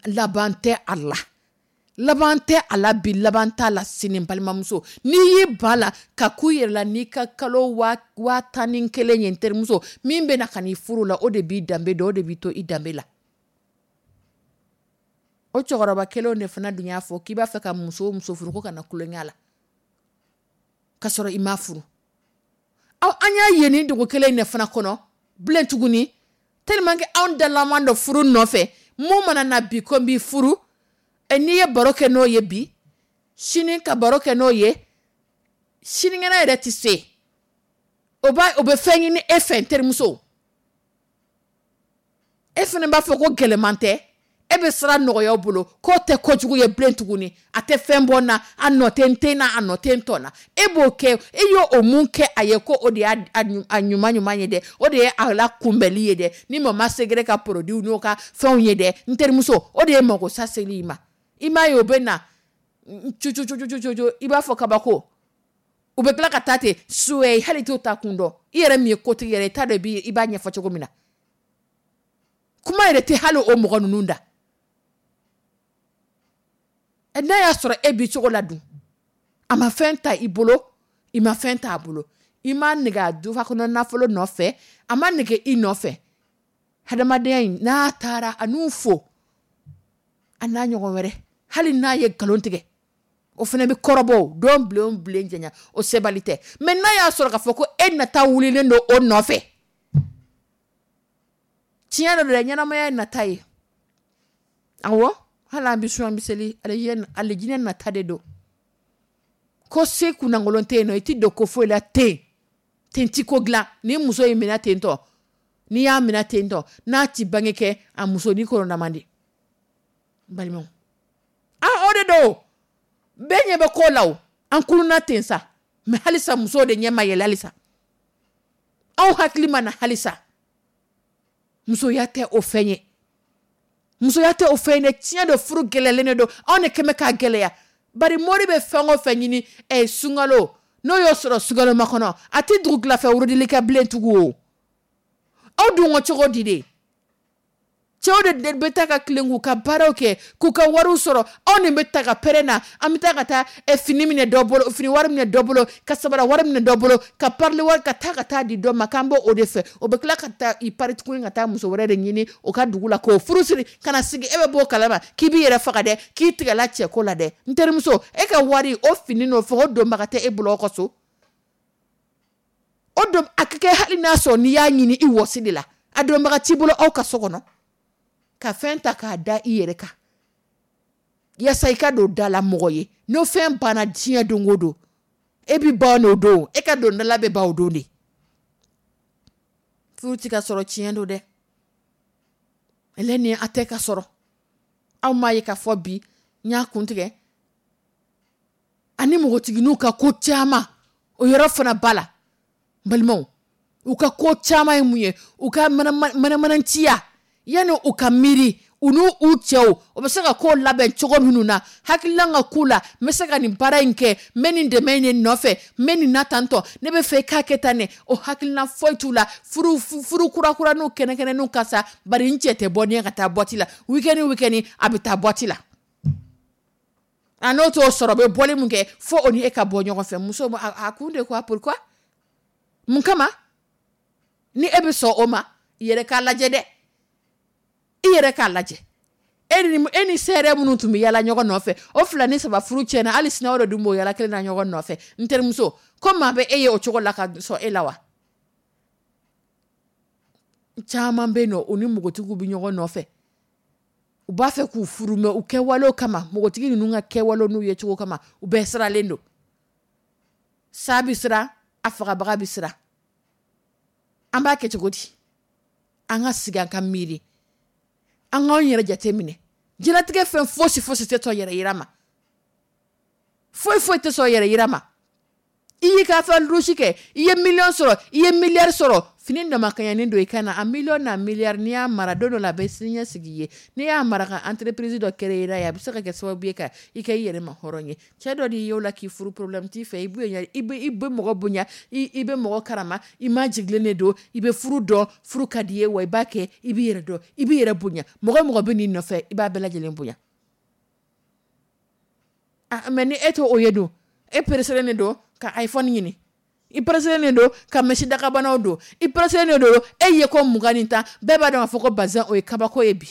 laban tɛ a la, laban tɛ a la bi, laban t'a la sini. Balimamuso, n'i y'i ba la ka ku yɛrɛ la n'i ka kalo 11,000 ye, n terimuso, min bɛ na ka n'i furu la, o de b'i danbe dɔn, o de b'i to i danbe la. O cɛkɔrɔba kelenw de fana dun y'a fɔ k'i b'a fɛ ka muso o muso furu, ko kana tulonkɛ la k'a sɔrɔ i m'a furu. Aw, an y'a ye nin dugu kelen in de fana kɔnɔ bilen tuguni, tellement que anw dalaman dɔ furu nɔfɛ. Mun mana na bi ko n b'i furu, n'i ye baro kɛ n'o ye bi, sini ka baro kɛ n'o ye, sinikɛnɛ yɛrɛ tɛ se, o b'a o bɛ fɛn ɲini e fɛ. N terimuso, e fana b'a fɔ ko gɛlɛman tɛ, e bɛ sira nɔgɔya bolo, k'o tɛ kojugu ye bilen tuguni, a tɛ fɛn bɔ n na, a nɔ tɛ n ten na, a nɔ tɛ n tɔ na. E b'o kɛ, e y'o o mun kɛ a ye, ko o de y'a a ɲuman ɲuman ye dɛ, o de ye a la kunbɛli ye dɛ, ni mama segere ka produit n'o ka fɛnw ye dɛ. N terimuso, o de ye mago sa seli i ma. I m'a ye, o bɛ na cucucucucucu, i b'a fɔ kabako. U bɛ tila ka taa ten suwɛ, hali t'o ta kun dɔn. I yɛrɛ min ye kotigi yɛrɛ, i t'a dɔn i b'a ɲɛfɔ cogo min na. Kuma yɛrɛ tɛ hali o mɔgɔ ninnu da. N'a y'a sɔrɔ e bi cogo la dun, a ma fɛn ta i bolo, i ma fɛn t'a bolo, i ma nege a dufa kɔnɔ nafolo nɔfɛ, a ma nege i nɔfɛ. Hadamadenya in n'a taara, a n'u fo, a n'a ɲɔgɔn wɛrɛ, hali n'a ye nkalon tigɛ, o fana bɛ kɔrɔbɔ don bilen bilen janya, o sebali tɛ. Mais n'a y'a sɔrɔ k'a fɔ ko e nata wulilen don o nɔfɛ, tiɲɛ dɔ la, ɲɛnamaya ye nata ye. Awɔ, hali an bɛ sun, an bɛ seli, alijinɛ nata de don. Ko se kunnankolon tɛ yen nɔ, i ti don ko foyi la ten ten, ti ko dilan. Ni muso y'i minɛ ten tɔ, n'i y'a minɛ ten tɔ, n'a ti bange kɛ, a muso ni kɔnɔna man di. Balimaw, ah, o de don, bɛɛ ɲɛ bɛ ko la o. An kuluna ten sa, mais halisa musow de ɲɛ ma yɛlɛ, halisa aw hakili ma na halisa. Musoya tɛ o fɛn ye, musoya tɛ o fɛn ye dɛ. Tiɲɛ don, furu gɛlɛyalen de don, anw de kɛmɛ k'a gɛlɛya. Bari mori bɛ fɛn o fɛn ɲini sunkalo, n'o y'o sɔrɔ sunkalo makɔnɔ, a tɛ dugu tilafɛ wurudili kɛ bilen tugun o. Aw dun ko cogo di de? Cɛw de bɛ taa ka tilen k'u ka baaraw kɛ, k'u ka wariw sɔrɔ. Anw de bɛ ta ka pɛrɛn na, an bɛ taa ka taa fini minɛ dɔ bolo, fini wari minɛ dɔ bolo, ka sabara wari minɛ dɔ bolo, ka parili wari ka taa ka taa di dɔ ma, k'an b'o de fɛ. O bɛ tila ka taa i pari tuguni ka taa muso wɛrɛ de ɲini o ka dugu la k'o furu siri ka na sigi. E bɛ bɔ o kalama k'i b'i yɛrɛ faga dɛ, k'i tigɛla cɛko la dɛ. N terimuso, e ka wari o fini n'o fɛ, o donbaga tɛ e bolo aw ka so. O don a ka kɛ, hali n'a sɔrɔ n'i y'a ɲini i wɔsi de la, a donbaga t'i bolo aw ka so kɔnɔ. Ka fɛn ta k'a da i yɛrɛ kan yaasa i ka don da la mɔgɔ ye, n'o fɛn banna diɲɛ don o don, e bɛ ban n'o don, e ka don dala bɛ ban o don de. Furu tɛ ka sɔrɔ, tiɲɛ don dɛ, ni a tɛ ka sɔrɔ. Aw m'a ye k'a fɔ bi n y'a kuntigɛ ani npogotigininw ka ko caman, o yɔrɔ fana ba la. Balimaw, u ka ko caman ye mun ye? U ka manamananciya, yanni u ka miiri u n'u u cɛw o bɛ se ka ko labɛn cogo minnu na, hakilina ka k'u la, n bɛ se ka nin baara in kɛ, n bɛ nin dɛmɛ in de nɔfɛ, n bɛ nin na tantɔ, ne bɛ fɛ i k'a kɛ tan ne, o hakilina foyi t'u la. Furu furu kurakuraniw kɛnɛkɛnɛninw ka sa, bari n cɛ tɛ bɔ ni ye ka taa boîte la week-end, week-end a bɛ taa boîte la. A n'o t'o sɔrɔ, o bɛ bɔli mun kɛ fo o ni e ka bɔ ɲɔgɔn fɛ. Muso a kun de quoi? Pourquoi? Mun kama ni e bɛ sɔn o ma? I yɛrɛ k'a lajɛ dɛ, i yɛrɛ k'a lajɛ. E ni sɛrɛ minnu tun bɛ yala ɲɔgɔn nɔfɛ, o fila ni saba furu tiɲɛna, hali sini o de dun b'o yala kelen na ɲɔgɔn nɔfɛ. N terimuso, ko maa bɛ e ye o cogo la ka sɔn e la wa? Caman bɛ yen nɔ, u ni npogotigiw bɛ ɲɔgɔn nɔfɛ, u b'a fɛ k'u furu, mɛ u kɛwalew kama, npogotigi ninnu ka kɛwalew n'u ye cogo kama, u bɛɛ siralen don. Sa bɛ siran, a fagabaga bɛ siran. An b'a kɛ cogo di? An ka sigi, an ka miiri, an k'anw yɛrɛ jate minɛ. Diɲɛlatigɛ fɛn fosi fosi tɛ sɔn yɛrɛ yira ma, foyi foyi tɛ sɔn yɛrɛ yira ma. I y'i ka fɛn lusi kɛ, i ye miliyɔn sɔrɔ, i ye miliyari sɔrɔ, fini damakanyanen don i ka na a miliyɔn n'a miliyari, n'i y'a mara don dɔ la, a bɛ siniɲɛsigi ye. N'i y'a mara ka entreprise dɔ créer n'a ye, a bɛ se ka kɛ sababu ye ka i kɛ i yɛrɛ ma hɔrɔn ye. Cɛ dɔ n'i y'o la k'i furu, problème t'i fɛ, i bonya, i bɛ mɔgɔ bonya, i bɛ mɔgɔ karama, i ma jigilen de don, i bɛ furu dɔn, furu ka di i ye, wa i b'a kɛ, i b'i yɛrɛ dɔn, i b'i yɛrɛ bonya. Mɔgɔ o mɔgɔ bɛ n'i nɔfɛ, i b'a bɛɛ lajɛlen bonya. Ah, mais ni e t'o o ye dun, e pressélen de don ka iPhone ɲini, i pressélen de don ka mèche dakabanaw don, i pressélen de don e ye ko 20 ni 10, bɛɛ b'a dɔn k'a fɔ ko bazin o ye kabako ye bi.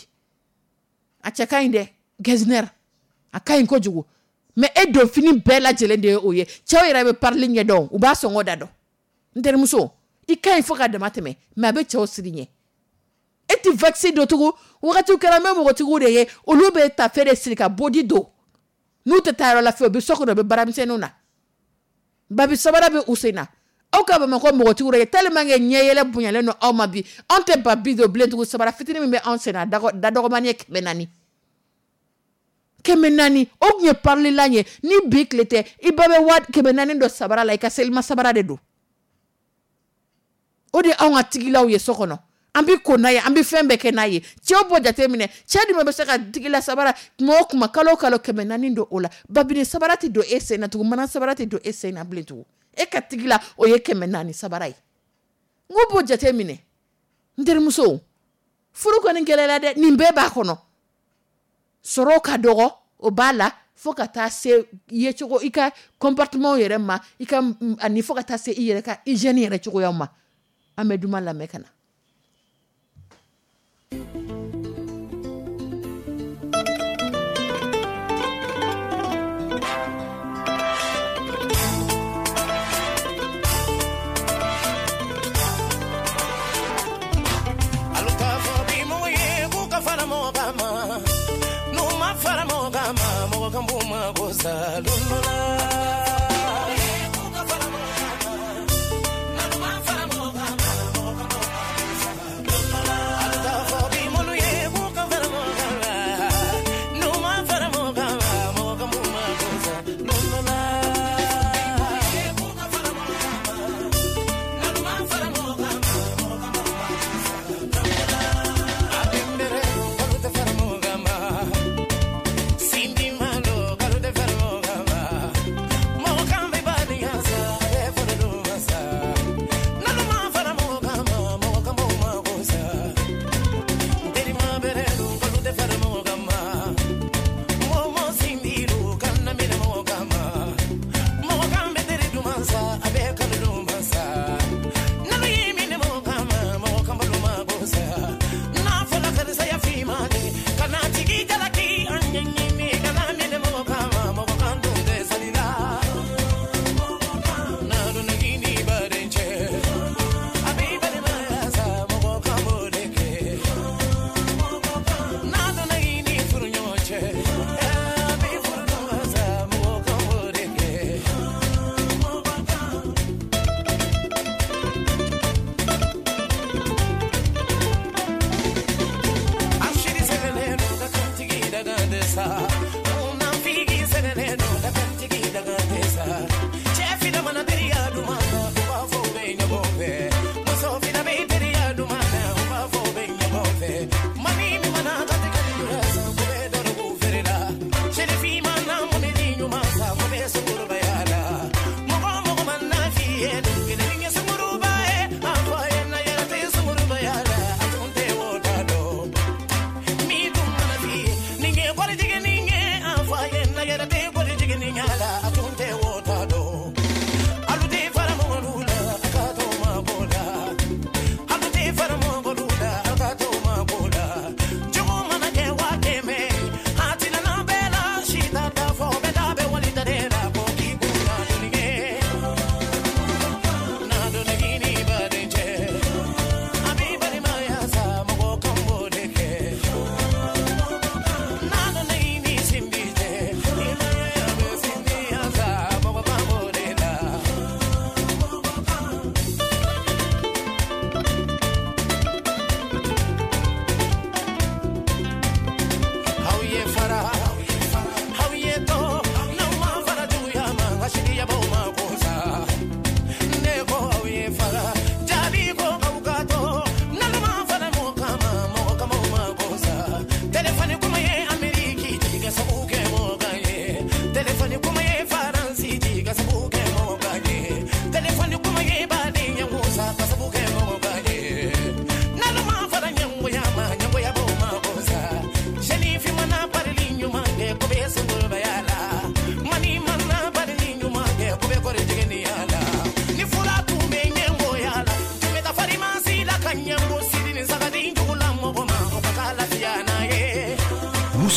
A cɛ ka ɲi dɛ, Getzner a ka ɲi kojugu, mais e don fini bɛɛ lajɛlen de ye o ye. Cɛw yɛrɛ bɛ parili ɲɛdɔn, u b'a sɔngɔ da dɔn. N terimuso, i ka ɲi fo ka dama tɛmɛ, mais a bɛ cɛw siri ɲɛ. E tɛ vaccin don tugun. Wagatiw kɛra, n bɛ npogotigiw de ye, olu bɛ tafe de siri ka body don, n'u tɛ taa yɔrɔ la fiyewu, u bɛ so kɔnɔ, u bɛ baaramisɛnninw na, babi sabara bɛ u sen na. Aw ka Bamakɔ npogotigiw ye, tellement que ɲɛ yɛlɛ bonyalen don aw ma bi, anw tɛ ba bi don bilen tugun. Sabara fitinin min bɛ anw sen na, da dɔgɔmani ye 400, 400. O tun ye parililan ye. Ni bi tile tɛ, i ba bɛ waa 400 don sabara la, i ka selima sabara de don. O de anw ka tigilaw ye so kɔnɔ, an bɛ ko n'a ye, an bɛ fɛn bɛɛ kɛ n'a ye. Cɛw b'o jate minɛ. Cɛ jumɛn bɛ se ka tigila sabara tuma o tuma, kalo o kalo, 400 don o la? Babini sabara tɛ don e sen na tugun, mana sabara tɛ don e sen na bilen tugun. E ka tigila o ye 400 sabara ye. N ko b'o jate minɛ, n terimuso. Furu kɔni gɛlɛyara dɛ, nin bɛɛ b'a kɔnɔ. Sɔrɔ ka dɔgɔ, o b'a la, fo ka taa se yecogo, i ka comportement yɛrɛ ma, i ka ani fo ka taa se i yɛrɛ ka hygiène yɛrɛ cogoya ma. An bɛ duman lamɛn ka na. Alu k'a fɔ bi mɔgɔ ye k'u ka fara mɔgɔ kan ma, n'u ma fara mɔgɔ kan ma, mɔgɔ kan b'u ma ko sa don dɔ la. Alu k'a fɔ bi mɔlu ye k'u ka fara mɔgɔ kan ma, n'u ma fara mɔgɔ kan ma, mɔgɔ kan b'u ma ko sa don dɔ la. Adembere, kalu tɛ fara mɔgɔ kan ma. Sindi malo, kalu tɛ fara mɔgɔ kan ma.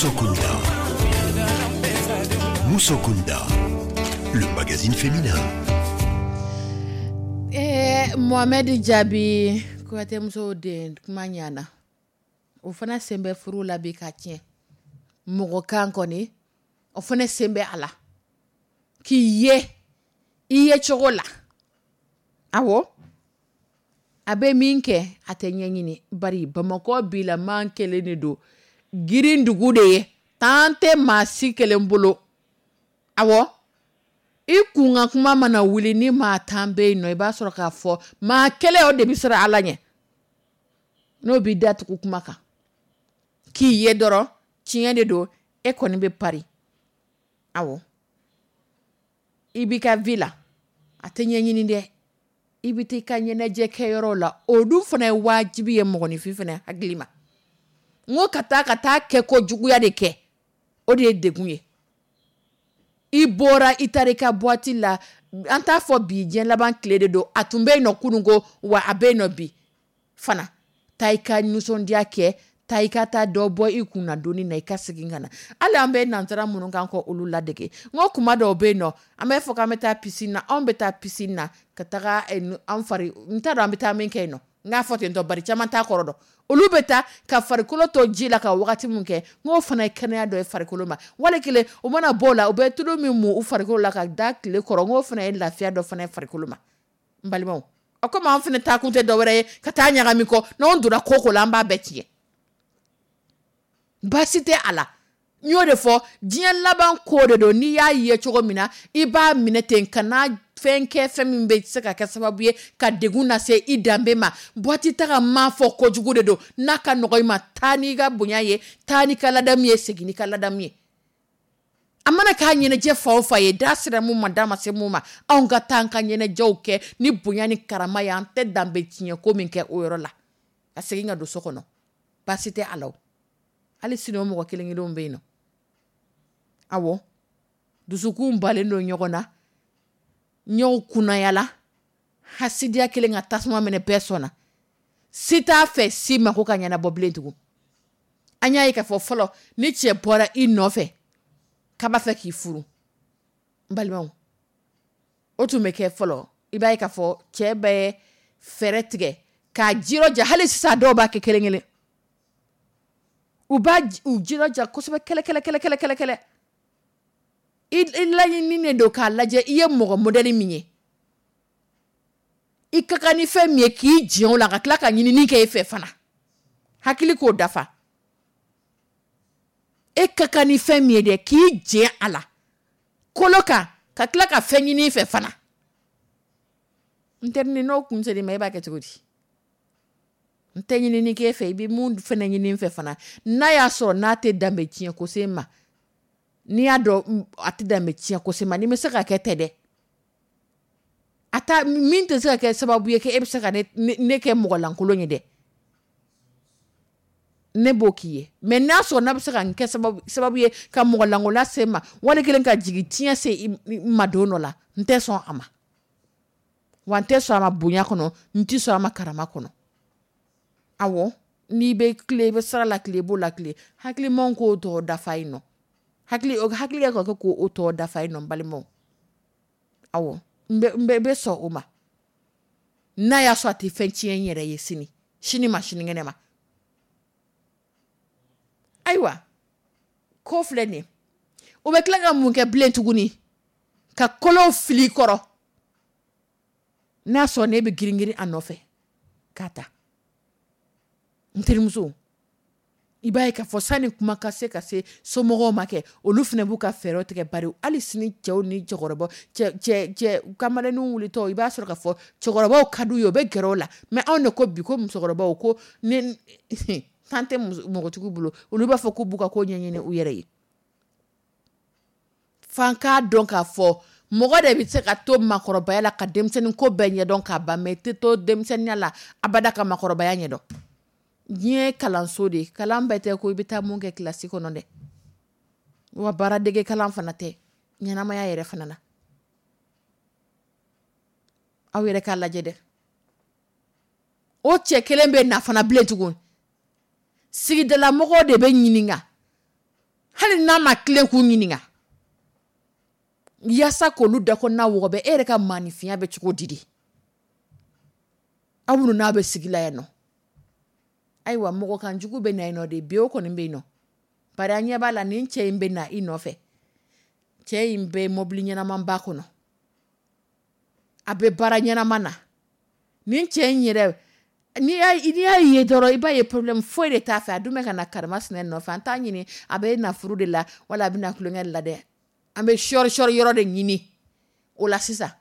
Musokunda. Musokunda, le magazine féminin. Mohamed Jaabi Kuyate musow den kuma ɲana, o fana sen bɛ furu la bi ka tiɲɛ. Mɔgɔ kan kɔni, o fana sen bɛ a la k'i ye i ye cogo la. Awɔ, a bɛ min kɛ, a tɛ ɲɛɲini, bari Bamakɔ bilama kelen de don, girin dugu de ye, tan tɛ maa si kelen bolo. Awɔ, i kun ka kuma mana wuli ni maa 10 bɛ yen nɔ, i b'a sɔrɔ k'a fɔ maa kelen o de bɛ siran Ala ɲɛ, n'o b'i datugu kuma kan k'i ye dɔrɔn tiɲɛ de don, e kɔni bɛ pari. Awɔ, i b'i ka vie la, a tɛ ɲɛɲini dɛ, i bɛ taa i ka ɲɛnajɛ kɛyɔrɔ la, o dun fana ye wajibi ye mɔgɔninfin fana hakili ma. N ko ka taa kɛ ko juguya de kɛ, o de ye degun ye. I bɔra, i taara i ka boîte la, an t'a fɔ bi diɲɛ laban tile de don, a tun bɛ yen nɔ kunun ko wa, a bɛ yen nɔ bi fana. Taa i ka nisɔndiya kɛ, taa i ka taa dɔ bɔ i kun na doni na, i ka segin ka na. Hali an bɛ nansara minnu kan kɔ, olu ladege. N ko kuma dɔw bɛ yen nɔ, an bɛ fɔ k'an bɛ taa piscine na, anw bɛ taa piscine na ka taga an fari, n t'a dɔn an bɛ taa min kɛ yen nɔ, n k'a fɔ ten tɔ, bari caman t'a kɔrɔ dɔn. Olu bɛ taa ka farikolo to ji la ka wagati min kɛ, n k'o fana ye kɛnɛya dɔ ye farikolo ma. Wali kelen, u mana bɔ o la, u bɛ tulu min mu u farikolo la ka da tile kɔrɔ, n k'o fana ye lafiya dɔ fana ye farikolo ma. N balimaw, o komi an fana taa kun tɛ dɔwɛrɛ ye ka taa ɲagami kɔ, n'anw donna ko ko la, an b'a bɛɛ tiɲɛ. Baasi tɛ a la, n y'o de fɔ, diɲɛ laban ko de don. N'i y'a ye cogo min na, i b'a minɛ ten, ka fɛn kɛ, fɛn min bɛ se ka kɛ sababu ye ka degun lase i danbe ma. Boîte taga m'a fɔ kojugu de don. N'a ka nɔgɔ i ma, taa n'i ka bonya ye, taa n'i ka ladamu ye, segin n'i ka ladamu ye. A mana k'a ɲɛnajɛ fa o fa ye, da sera mun ma, da ma se mun ma, anw ka taa an ka ɲɛnajɛw kɛ ni bonya ni karama ye. An tɛ danbe tiɲɛ ko min kɛ o yɔrɔ la, ka segin ka don so kɔnɔ, baasi tɛ a la. Hali sini, o mɔgɔ kelen kelenw bɛ yen nɔ. Awɔ, dusukun balen don ɲɔgɔn na, ɲɔgɔn kunnayala, hasidiya kelen ka tasuma minɛ bɛɛ sɔnna, si t'a fɛ si mako ka ɲɛnabɔ bilen tugun. An y'a ye k'a fɔ fɔlɔ, ni cɛ bɔra i nɔfɛ k'a b'a fɛ k'i furu, n balimaw, o tun bɛ kɛ fɔlɔ. I b'a ye k'a fɔ cɛ bɛ fɛɛrɛ tigɛ k'a jirɔja. Hali sisan, dɔw b'a kɛ kelen kelen, u b'a u jirɔja kosɛbɛ, kɛlɛ kɛlɛ kɛlɛ kɛlɛ kɛlɛ kɛlɛ. I laɲininen don k'a lajɛ i ye mɔgɔ modèle min ye, i ka kan ni fɛn min ye, k'i jɛn o la, ka tila ka ɲinini kɛ e fɛ fana, hakili k'o dafa. E ka kan ni fɛn min ye dɛ, k'i jɛn a la kolo kan, ka tila ka fɛn ɲini i fɛ fana. N terinin, n'o kun ser'i ma, e b'a kɛ cogo di? N tɛ ɲinini k'e fɛ, i bɛ mun fɛnɛ ɲini n fɛ fana, n'a y'a sɔrɔ n'a tɛ danbe tiɲɛ ko se ma, n'i y'a dɔn a tɛ danbe tiɲɛ ko se ma, n'i bɛ se ka kɛ tɛ dɛ, a ta min tɛ se ka kɛ sababu ye k'e bɛ se ka ne kɛ mɔgɔ lankolon ye dɛ, ne b'o k'i ye. Mais n'a sɔrɔ n'a bɛ se ka n kɛ sababu ye ka mɔgɔ lankolon se ma, wali kelen ka jigin tiɲɛ se i ma don dɔ la, n tɛ sɔn a ma. Wa n tɛ sɔn a ma bonya kɔnɔ, n tɛ sɔn a ma karama kɔnɔ. Awɔ, n'i bɛ tile, i bɛ sira la tile, i b'o la tile, hakilimaw k'o tɔ dafa yen nɔ, hakili hakili ka kɛ k'o tɔ dafa yen nɔ. N balimaw, awɔ, n bɛ sɔn o ma, n'a y'a sɔrɔ a tɛ fɛn tiɲɛ n yɛrɛ ye sini sini ma, sinikɛnɛ ma. Ayiwa, ko filɛ nin ye, o bɛ tila ka mun kɛ bilen tuguni? Ka kolow fili i kɔrɔ, n'a sɔrɔ ne bɛ girin girin a nɔfɛ k'a ta. N terimuso, i b'a ye k'a fɔ sani kuma ka se ka se somɔgɔw ma kɛ, olu fana b'u ka fɛɛrɛw tigɛ, bari hali sini, cɛw ni cɛkɔrɔba, cɛ cɛ cɛ kamalenninw wulitɔ, i b'a sɔrɔ k'a fɔ cɛkɔrɔbaw ka d'u ye, u bɛ gɛrɛ o la. Mais anw de ko bi ko musokɔrɔbaw ko ni tan tɛ npogotigiw bolo, olu b'a fɔ k'u b'u ka ko ɲɛɲini u yɛrɛ ye. F'an k'a dɔn k'a fɔ mɔgɔ de bɛ se ka to maakɔrɔbaya la ka denmisɛnnin ko bɛɛ ɲɛdɔn k'a ban, mais i tɛ to denmisɛnninya la abada ka maakɔrɔbaya ɲɛdɔn. Diɲɛ ye kalanso de ye, kalan bɛɛ tɛ ko i bɛ taa mun kɛ kilasi kɔnɔ dɛ. Wa baaradege kalan fana tɛ ɲɛnamaya yɛrɛ fana na. Aw yɛrɛ k'a lajɛ dɛ, o cɛ kelen bɛ na fana bilen tugun, sigidalamɔgɔw de bɛ ɲininka. Hali n'a ma tilen k'u ɲininka yaasa k'olu dakɔnɔna wɔgɔbɛ, e yɛrɛ ka maaninfinya bɛ cogo di de? Aw minnu n'a bɛ sigi la yan nɔ, ayiwa, mɔgɔ kan jugu bɛ na yen nɔ de bi, o kɔni bɛ yen nɔ. Bari an ɲɛ b'a la, nin cɛ in bɛ na i nɔfɛ. Cɛ in bɛ mɔbili ɲɛnamanba kɔnɔ, a bɛ baara ɲɛnama na. Nin cɛ in yɛrɛ, n'i y'a ye dɔrɔn, i b'a ye problème foyi de t'a fɛ. A dun bɛ ka na karimasina nɔfɛ. An t'a ɲini a bɛ na furu de la wala a bɛ na tulonkɛ de la dɛ. An bɛ sɔri sɔri yɔrɔ de ɲini o la sisan,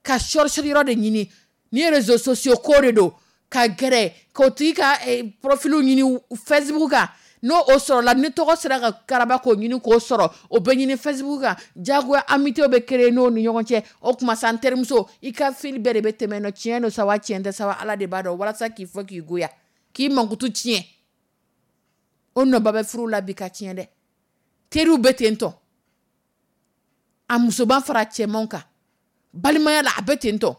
ka sɔri sɔri yɔrɔ de ɲini. Ni réseaux sociaux ko de don, ka gɛrɛ k'o tigi ka profil ɲini Facebook kan. N'o o sɔrɔla, ni tɔgɔ sera ka karaba k'o ɲini k'o sɔrɔ, o bɛ ɲini Facebook kan. Jagoya amitié bɛ créer n'o ni ɲɔgɔn cɛ. O tuma sa, n terimuso, i ka fil bɛɛ de bɛ tɛmɛ nɔ. Tiɲɛ don sa wa, tiɲɛ tɛ sa wa, Ala de b'a dɔn. Walasa k'i fɔ k'i goya, k'i mankutu tiɲɛ, o nɔba bɛ furu la bi ka tiɲɛ dɛ. Teriw bɛ ten tɔ, a musoman fara cɛmanw kan, balimaya la a bɛ ten tɔ,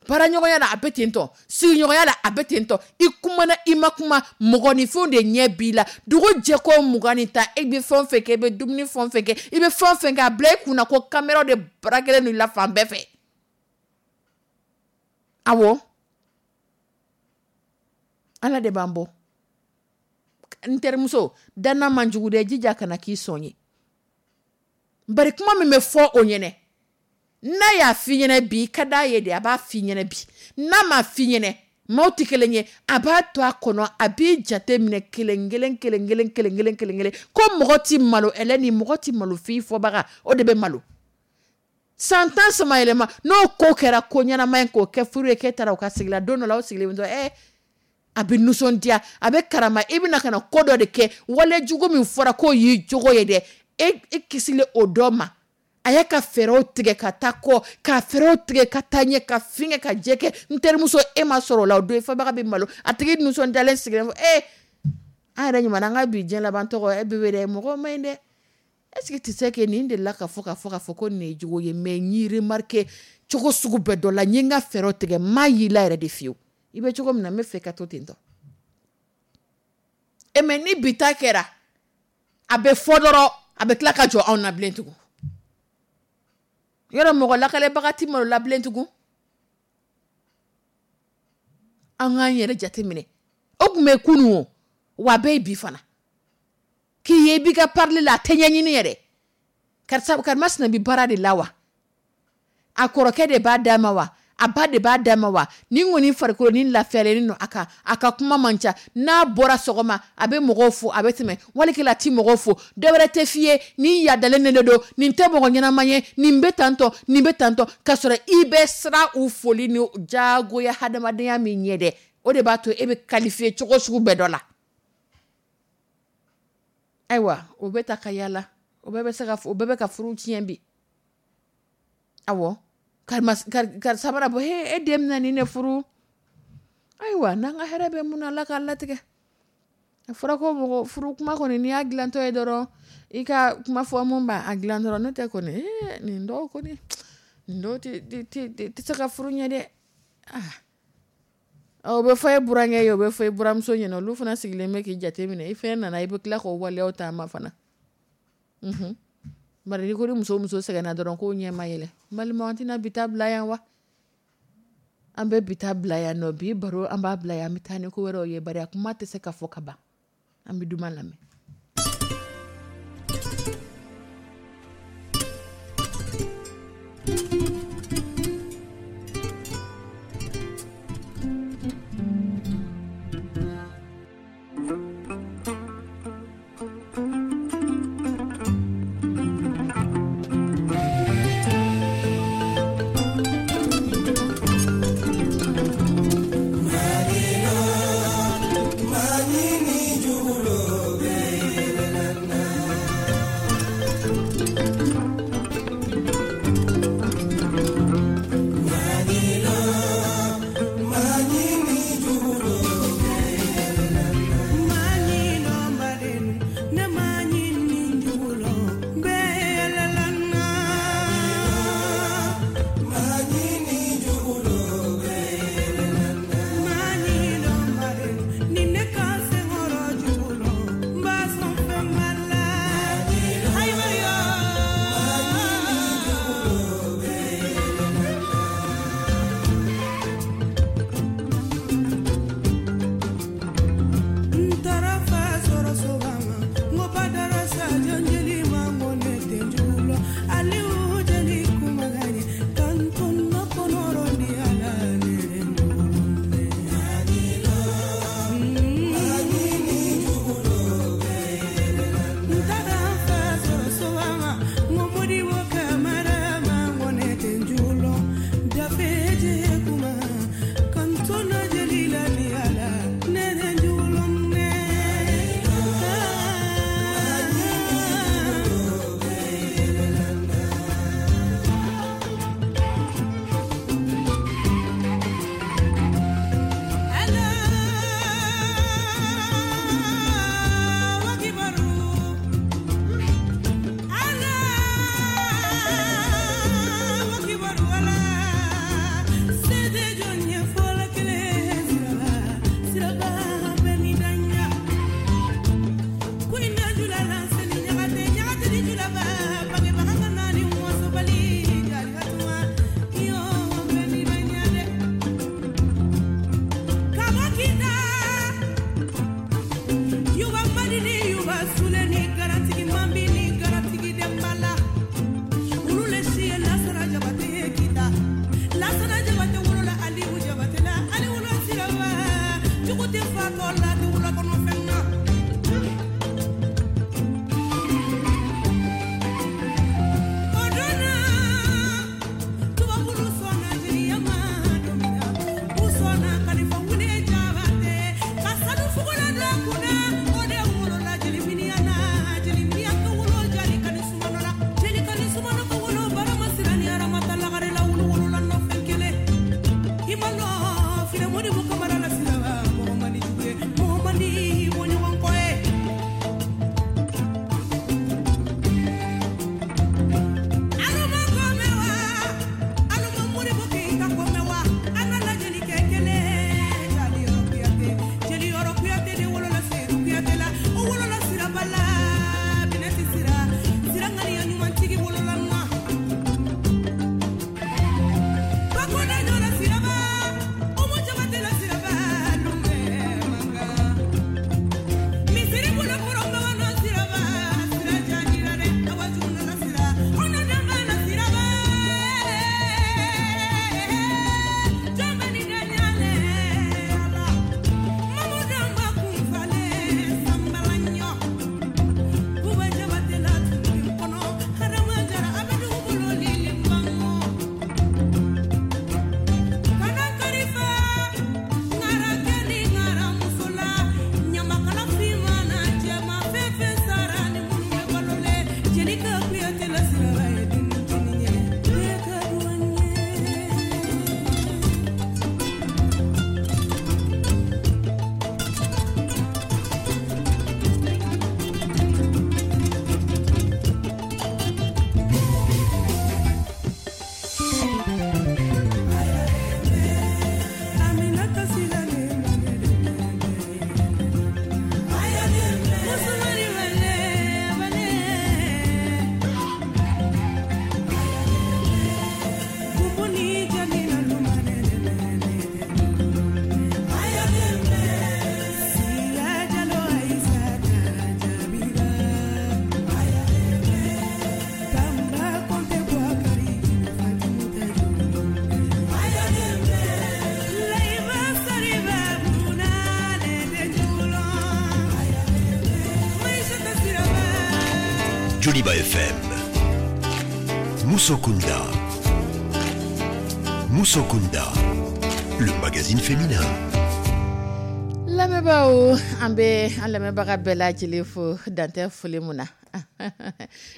baaraɲɔgɔnya la a bɛ ten tɔ, sigiɲɔgɔnya la a bɛ ten tɔ. I kumana, i ma kuma, mɔgɔninfinw de ɲɛ b'i la. Dugu jɛ ko 20 ni 10, e bɛ fɛn o fɛn kɛ, i bɛ dumuni fɛn o fɛn kɛ, i bɛ fɛn o fɛn kɛ, a bila i kunna ko caméra de braquelen don i la fan bɛɛ fɛ. Awɔ, Ala de b'an bɔ. N terimuso, danna man jugu dɛ, jija kana k'i sɔn ye. Bari kuma min bɛ fɔ o ɲɛnɛ, n'a y'a f'i ɲɛnɛ bi, i ka d'a ye de, a b'a f'i ɲɛnɛ bi. N'a m'a f'i ɲɛnɛ, maaw tɛ kelen ye, a b'a to a kɔnɔ, a b'i jate minɛ kelen kelen kelen kelen kelen kelen kelen kelen. Ko mɔgɔ ti malo ɛlɛ ni mɔgɔ ti malo f'i fɔbaga, o de bɛ malo. San 10 sama yɛlɛma, n'o ko kɛra ko ɲɛnama ye, k'o kɛ furu ye, k'e taara o ka sigi la, don dɔ la aw sigilen bɛ to, a bɛ nisɔndiya, a bɛ karama. I bɛna ka na ko dɔ de kɛ, wale jugu min fɔra k'o y'i jogo ye dɛ, e kisili o dɔ ma. A y'a ka fɛɛrɛw tigɛ ka taa kɔ, ka fɛɛrɛw tigɛ ka taa ɲɛ, ka fin kɛ, ka jɛ kɛ. N terimuso, e ma sɔrɔ o la, o don i fɔbaga bɛ malo. A tigi nisɔndiyalen sigilen fɔ, an yɛrɛ ɲuman, an ka bi diɲɛ laban tɔgɔ, bébé dɛ, mɔgɔ ma ɲi dɛ. Est-ce que tu sais que nin delila ka fɔ, ka fɔ, ka fɔ ko nin ye jogo ye? Mais n y'i remarqué cogo sugu bɛɛ dɔ la, n ye n ka fɛɛrɛw tigɛ, n m'a y'i la yɛrɛ de fiyewu. I bɛ cogo min na, n bɛ fɛ ka to ten tɔ. E mais ni bi ta kɛra, a bɛ fɔ dɔrɔn, a bɛ tila ka jɔ anw na bilen tugun. Yɔrɔ mɔgɔ lakalebaga ti malo la bilen tugun. An k'an yɛrɛ jateminɛ. O tun bɛ kunun o, wa a bɛɛ ye bi fana. K'i ye i b'i ka parler la, a tɛ ɲɛɲini yɛrɛ. Karisa, karimasina bɛ baara de la wa? A kɔrɔkɛ de b'a d'a ma wa? A ba de b'a d'a ma wa? Nin kɔni farikolo ni lafiyalen don a kan, a ka kuma man ca. N'a bɔra sɔgɔma, a bɛ mɔgɔw fo, a bɛ tɛmɛ. Walikɛla a ti mɔgɔw fo. Dɔ wɛrɛ tɛ f'i ye, nin yadalen de don, nin tɛ mɔgɔ ɲɛnama ye, nin bɛ tantɔ, nin bɛ tantɔ. K'a sɔrɔ i bɛ siran u foli ni diyagoya hadamadenya min ɲɛ dɛ, o de b'a to e bɛ qualifier cogo sugu bɛɛ dɔ la. Ayiwa, o bɛ ta ka yala, o bɛɛ bɛ se ka, o bɛɛ bɛ ka furu tiɲɛ bi. Awɔ, karisa mana bɔ, he, e den bɛna nin de furu. Ayiwa, n'an ka hɛrɛ bɛ mun na, Ala k'a latigɛ. A fɔra ko mɔgɔ furu kuma kɔni, n'i y'a dilantɔ ye dɔrɔn, i ka kuma fɔ mun b'a dilan dɔrɔn, n'o tɛ kɔni, nin dɔw kɔni, nin dɔw tɛ se ka furu ɲɛ dɛ. O bɛ fɔ e burankɛ ye, o bɛ fɔ e buramuso ɲɛna, olu fana sigilen bɛ k'i jate minɛ. I fɛn nana, i bɛ tila k'o waleyaw ta ma fana. Bari n'i ko ni muso muso sɛgɛnna dɔrɔn, k'o ɲɛ ma yɛlɛ. N balimaw, an tɛna bi ta bila yan wa? An bɛ bi ta bila yan nɔ. Bi baro, an b'a bila yan, an bɛ taa ni ko wɛrɛw ye. Bari a kuma tɛ se ka fɔ ka ban. An bɛ duman lamɛn. Mali Tɛ fatɔ la tɛ wula kɔnɔ fɛn na. O donna tubabulu sɔnna jeliya ma don min na, u sɔnna Kalifa Wule Jabate ka sanu fugulan don a kunna. O de wolola jeli Miniyan na, jeli Miniyan ka wolo jali kani sumano la, jeli kani sumano ka wolo barama sira ni aramata lagare la wulu wolola nɔfɛ kelen. I ma lɔn finɛ Modibo Kamara la siraba mɔgɔ man di jugu ye, mɔgɔ man di bɔɲɔgɔn kɔ ye. Aluma kɔmɛ wa, aluma Modibo Keyita kɔmɛ wa, an ka lajɛli kɛ kelen. Jali Yɔrɔ Kuyate, jeli Yɔrɔ Kuyate de wolola Seyidu Kuyate la, o wolola Siraba la, Binɛti Sira, Sira ŋaniya ɲumantigi wolola na. Bakoda ɲɔla Siraba, Umu Jabate la Siraba, Lumbe mankan. Misiri bolo kɔrɔ bawana Siraba, Sira jajira dɛ, awa juguna la Sira, kɔnɔ dama la Siraba. Jɔn bɛ nin da ɲalɛ Ala. Mamudu ma kun falen sanbala ɲɔ. Buba Jabate la tun kɔnɔ, Adama Jara a bɛ dugu bolo lili mango. Kana karifa, ŋara kɛ ni ŋara muso la, ɲamakala finman na jɛman fɛn fɛn sara ni minnu bɛ balo le. Jelika Kuyate la Siraba ye denmisɛnnin ye, bɛɛ ka duwan ye. Aminata Sila ne mane Musumani wale wale Kumbuni jamina lumane Sila jalo Aisata Jabira Tamba konte Bwakari Fatimata Jolo Laiba sariba munane de julo Maisha Siraba. Joliba FM. Moussokunda. Moussokunda. Le magazine féminin. Lamɛnbaaw, an bɛ an lamɛnbaga bɛɛ lajɛlen fo dantɛ foli mun na.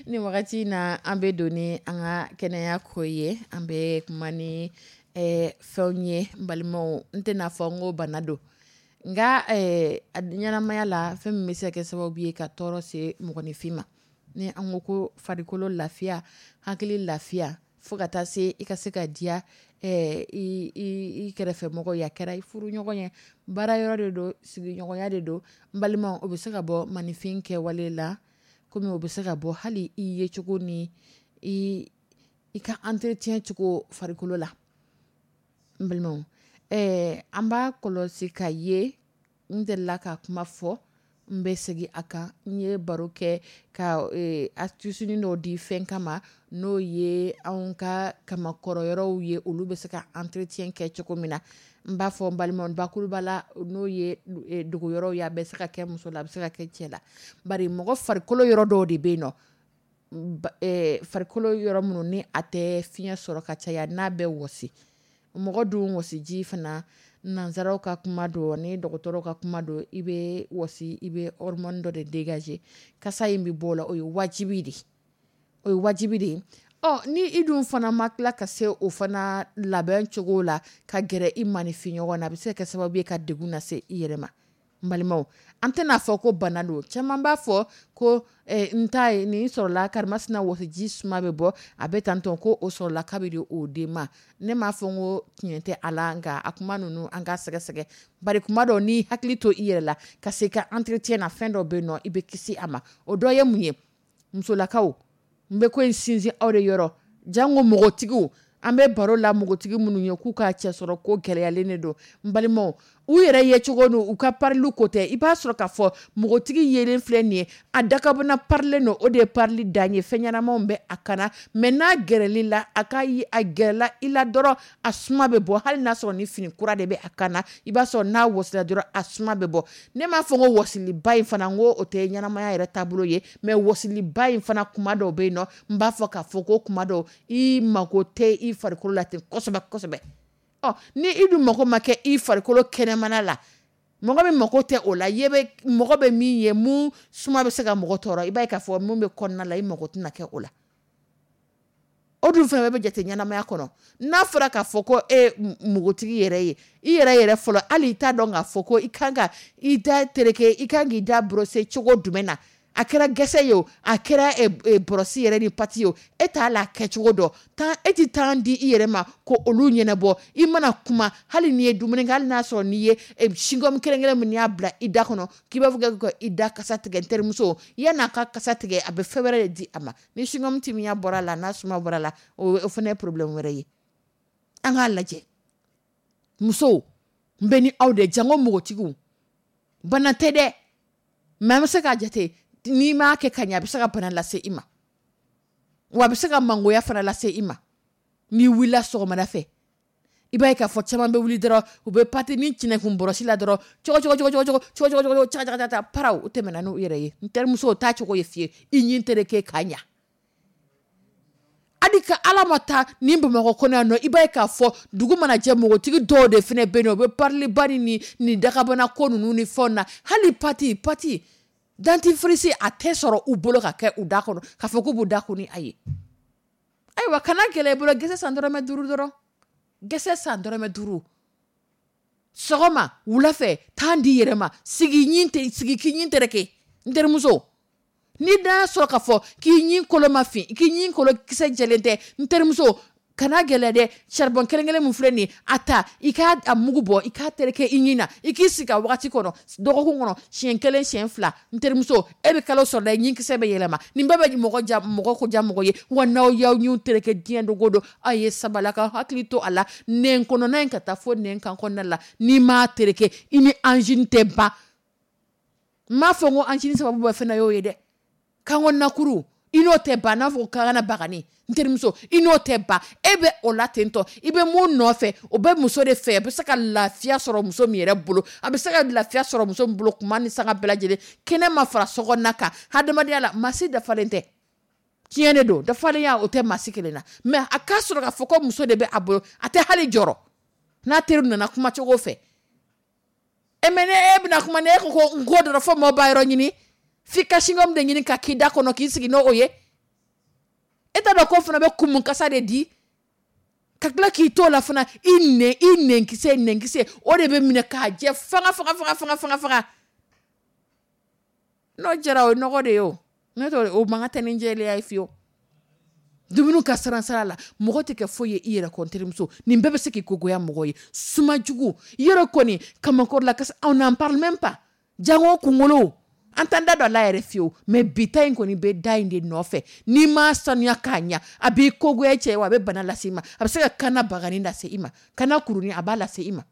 Ni wagati in na, an bɛ don ni an ka kɛnɛya ko ye. An bɛ kuma ni fɛnw ye, n balimaw. N tɛna fɔ n ko bana don, nka a ɲɛnamaya la, fɛn min bɛ se ka kɛ sababu ye ka tɔɔrɔ se mɔgɔninfin ma, ni an ko ko farikolo lafiya, hakili lafiya, fo ka taa se i ka se ka diya i kɛrɛfɛmɔgɔ ye, a kɛra i furuɲɔgɔn ye, baara yɔrɔ de don, sigiɲɔgɔnya de don, n balimaw, o bɛ se ka bɔ maninfin kɛwale la, komi o bɛ se ka bɔ hali i yecogo ni i ka entretien cogo farikolo la. N balimaw, an b'a kɔlɔsi ka ye, n delila ka kuma fɔ, n bɛ segin a kan. N ye baro kɛ ka astuce dɔw di fɛn kama, n'o ye anw ka kamakɔrɔ yɔrɔw ye, olu bɛ se ka entretien kɛ cogo min na. N b'a fɔ n balimaw, bakuruba la, n'o ye dogo yɔrɔw ye, a bɛ se ka kɛ muso la, a bɛ se ka kɛ cɛ la. Bari mɔgɔ farikolo yɔrɔ dɔw de bɛ yen nɔ, farikolo yɔrɔ minnu ni a tɛ fiɲɛ sɔrɔ ka caya, n'a bɛ wɔsi. Mɔgɔ dun wɔsiji fana, nanzaraw ka kuma don ni dɔgɔtɔrɔw ka kuma don, i bɛ wɔsi, i bɛ hormone dɔ de dégager, kasa in bɛ bɔ o la, o ye wajibi de ye. O ye wajibi de ye. Ɔ, ni i dun fana ma tila ka se o fana labɛn cogo la ka gɛrɛ i maninfin ɲɔgɔn na, a bɛ se ka kɛ sababu ye ka degun lase i yɛrɛ ma. N balimaw, an tɛna fɔ ko bana don. Caman b'a fɔ ko n ta ye nin sɔrɔla karimasina wɔsiji suma bɛ bɔ, a bɛ tantɔn, ko o sɔrɔla kabi de o den ma. Ne m'a fɔ n ko tiɲɛ tɛ a la, nka a kuma ninnu an ka sɛgɛsɛgɛ. Bari kuma dɔw, n'i hakili to i yɛrɛ la ka se ka entretien na, fɛn dɔ bɛ yen nɔ, i bɛ kisi a ma. O dɔ ye mun ye? Musolakaw, n bɛ ko in sinsin aw de yɔrɔ, jango mɔgɔtigiw. An bɛ baro la npogotigi minnu ye k'u ka cɛ sɔrɔ ko gɛlɛyalen de don. N balimaw, u yɛrɛ ye cogo n'u u ka parili ko tɛ. I b'a sɔrɔ k'a fɔ npogotigi yelen filɛ nin ye, a dakabana parilen don, o de ye parili dan ye, fɛn ɲɛnamaw bɛ a kana, mais n'a gɛrɛl'i la, a ka a gɛrɛla i la dɔrɔn a suma bɛ bɔ, hali n'a sɔrɔ ni fini kura de bɛ a kana, i b'a sɔrɔ n'a wɔsila dɔrɔn a suma bɛ bɔ. Ne m'a fɔ ko wɔsiliba in fana, n ko o tɛ ɲɛnamaya yɛrɛ taabolo ye, mais wɔsiliba in fana kuma dɔw bɛ yen nɔ, n b'a fɔ k'a fɔ ko kuma dɔw i mako tɛ i farikolo la ten kosɛbɛ kosɛbɛ. Ɔ ni i dun mako ma kɛ i farikolo kɛnɛmana la, mɔgɔ min mako tɛ o la, ye bɛ mɔgɔ bɛ min ye mun suma bɛ se ka mɔgɔ tɔɔrɔ, i b'a ye k'a fɔ mun bɛ kɔnɔna la i mako tɛna kɛ o la. O dun fana bɛ jate ɲɛnamaya kɔnɔ. N'a fɔra k'a fɔ ko e npogotigi yɛrɛ ye i yɛrɛ yɛrɛ fɔlɔ, hali i t'a dɔn k'a fɔ ko i kan ka i da tereke, i kan k'i da brosser cogo jumɛn na, a kɛra gɛsɛ ye o, a kɛra brosse yɛrɛ ni pâte ye o, e t'a la kɛcogo dɔn. Tan e tɛ temps di i yɛrɛ ma ko olu ɲɛnabɔ. I mana kuma, hali n'i ye dumuni kɛ, hali n'a sɔrɔ n'i ye chewing-gum kelen kelen min y'a bila i da kɔnɔ k'i b'a fɔ ko i da kasa tigɛ, n terimuso, yan'a ka kasa tigɛ a bɛ fɛn wɛrɛ de di a ma. Ni chewing-gum timiya bɔra la, n'a suma bɔra la, o fana ye problème wɛrɛ ye. An k'a lajɛ, musow, n bɛ ni aw de jango npogotigiw, bana tɛ dɛ, mais an bɛ se k'a jate n'i m'a kɛ ka ɲɛ, a bɛ se ka bana lase i ma, wa a bɛ se ka mangoya fana lase i ma. N'i wulila sɔgɔmada fɛ, i b'a ye k'a fɔ caman bɛ wuli dɔrɔn, u bɛ pâte ni tinɛkun bɔrɔsi la dɔrɔn, cogo cogo cogo cogo cogo cogo cogo caga caga caga paraw, u tɛmɛna n'u yɛrɛ ye. N terimuso, o t'a cogo ye fiyewu, i ɲin tereke k'a ɲa. Hali ka Ala ma taa ni Bamakɔ kɔnɔ yan nɔ, i b'a ye k'a fɔ dugu mana jɛ, npogotigi dɔw de fana bɛ yen nɔ, u bɛ pariliba ni nin dakabana ko ninnu ni fɛnw na. Hali pâte dentifrice a tɛ sɔrɔ u bolo ka kɛ u da kɔnɔ, k'a fɔ k'u b'u da ko ni a ye. Ayiwa, kana gɛlɛya i bolo, gɛsɛ san dɔrɔmɛ 5 dɔrɔn, gɛsɛ san dɔrɔmɛ 5 sɔgɔma wula fɛ, temps di yɛrɛ ma, sigi ɲin tɛ, sigi k'i ɲin tereke. N terimuso, n'i da sɔrɔ k'a fɔ k'i ɲin kolo ma fin, k'i ɲin kolo kisɛ jɛlen tɛ, n terimuso, kana gɛlɛya dɛ. Charbon kelen kelen min filɛ nin ye, a ta i k'a a mugu bɔ, i k'a tereke i ɲin na, i k'i sigi a wagati kɔnɔ, dɔgɔkun kɔnɔ siɲɛ 1 siɲɛ 2. N terimuso, e bɛ kalo sɔrɔ dɛ, ɲin kisɛ bɛ yɛlɛma. Nin bɛɛ bɛ mɔgɔ ja, mɔgɔ ko ja mɔgɔ ye. Wa n'aw y'aw ɲinw tereke diɲɛ don o don, aw ye sabali ka hakili to a la. Nɛn kɔnɔna in ka taa fo nɛn kan kɔnɔna la, n'i m'a tereke, i ni angine tɛ ban. N m'a fɔ ko angine sababu bɛ fɛn y'o ye dɛ. Kan kɔnɔna kuru, i n'o tɛ ban, n'a fɔ ko kankana bagani, n terimuso, i n'o tɛ ban. E bɛ o la ten tɔ, i bɛ mun nɔfɛ, o bɛ muso de fɛ, a bɛ se ka lafiya sɔrɔ muso min yɛrɛ bolo, a bɛ se ka lafiya sɔrɔ muso min bolo kuma ni sanga bɛɛ lajɛlen, kɛnɛ ma fara sokɔnɔna kan, hadamadenya la, maa si dafalen tɛ. Tiɲɛ de don, dafalenya o tɛ maa si kelen na, mais a k'a sɔrɔ k'a fɔ ko muso de bɛ a bolo, a tɛ hali jɔrɔ n'a teri nana kuma cogo fɛ. E mais ne e bɛna kuma, ne e ko ko n ko dɔrɔn fo maaw b'a yɔrɔ ɲini, f'i ka chewing-gum de ɲini ka k'i da kɔnɔ k'i sigi n'o ye. E t'a dɔn k'o fana bɛ kumu kasa de di, ka tila k'i to o la fana, i nɛn, i nɛnkisɛ, nɛnkisɛ o de bɛ minɛ k'a jɛ fanga fanga fanga fanga fanga fanga. N'o jɛra, o ye nɔgɔ de ye o, n'o tɛ o man kan tɛ ni jɛlenya ye fiyewu. Dumuni ka siran sira la, mɔgɔ tɛ kɛ foyi ye i yɛrɛ kɔ, n terimuso. Nin bɛɛ bɛ se k'i ko goya mɔgɔ ye. Suma jugu yɔrɔ kɔni kamakɔrɔ la, kasi on n'en parle même pas. Jango kunkolo, an t'an da don a la yɛrɛ fiyewu, mais bi ta in kɔni bɛ da in de nɔfɛ. N'i m'a sanuya k'a ɲa, a b'i kogoya cɛ ye, wa a bɛ bana lase i ma, a bɛ se ka kana bagani lase i ma, kana kurunin a b'a lase i ma,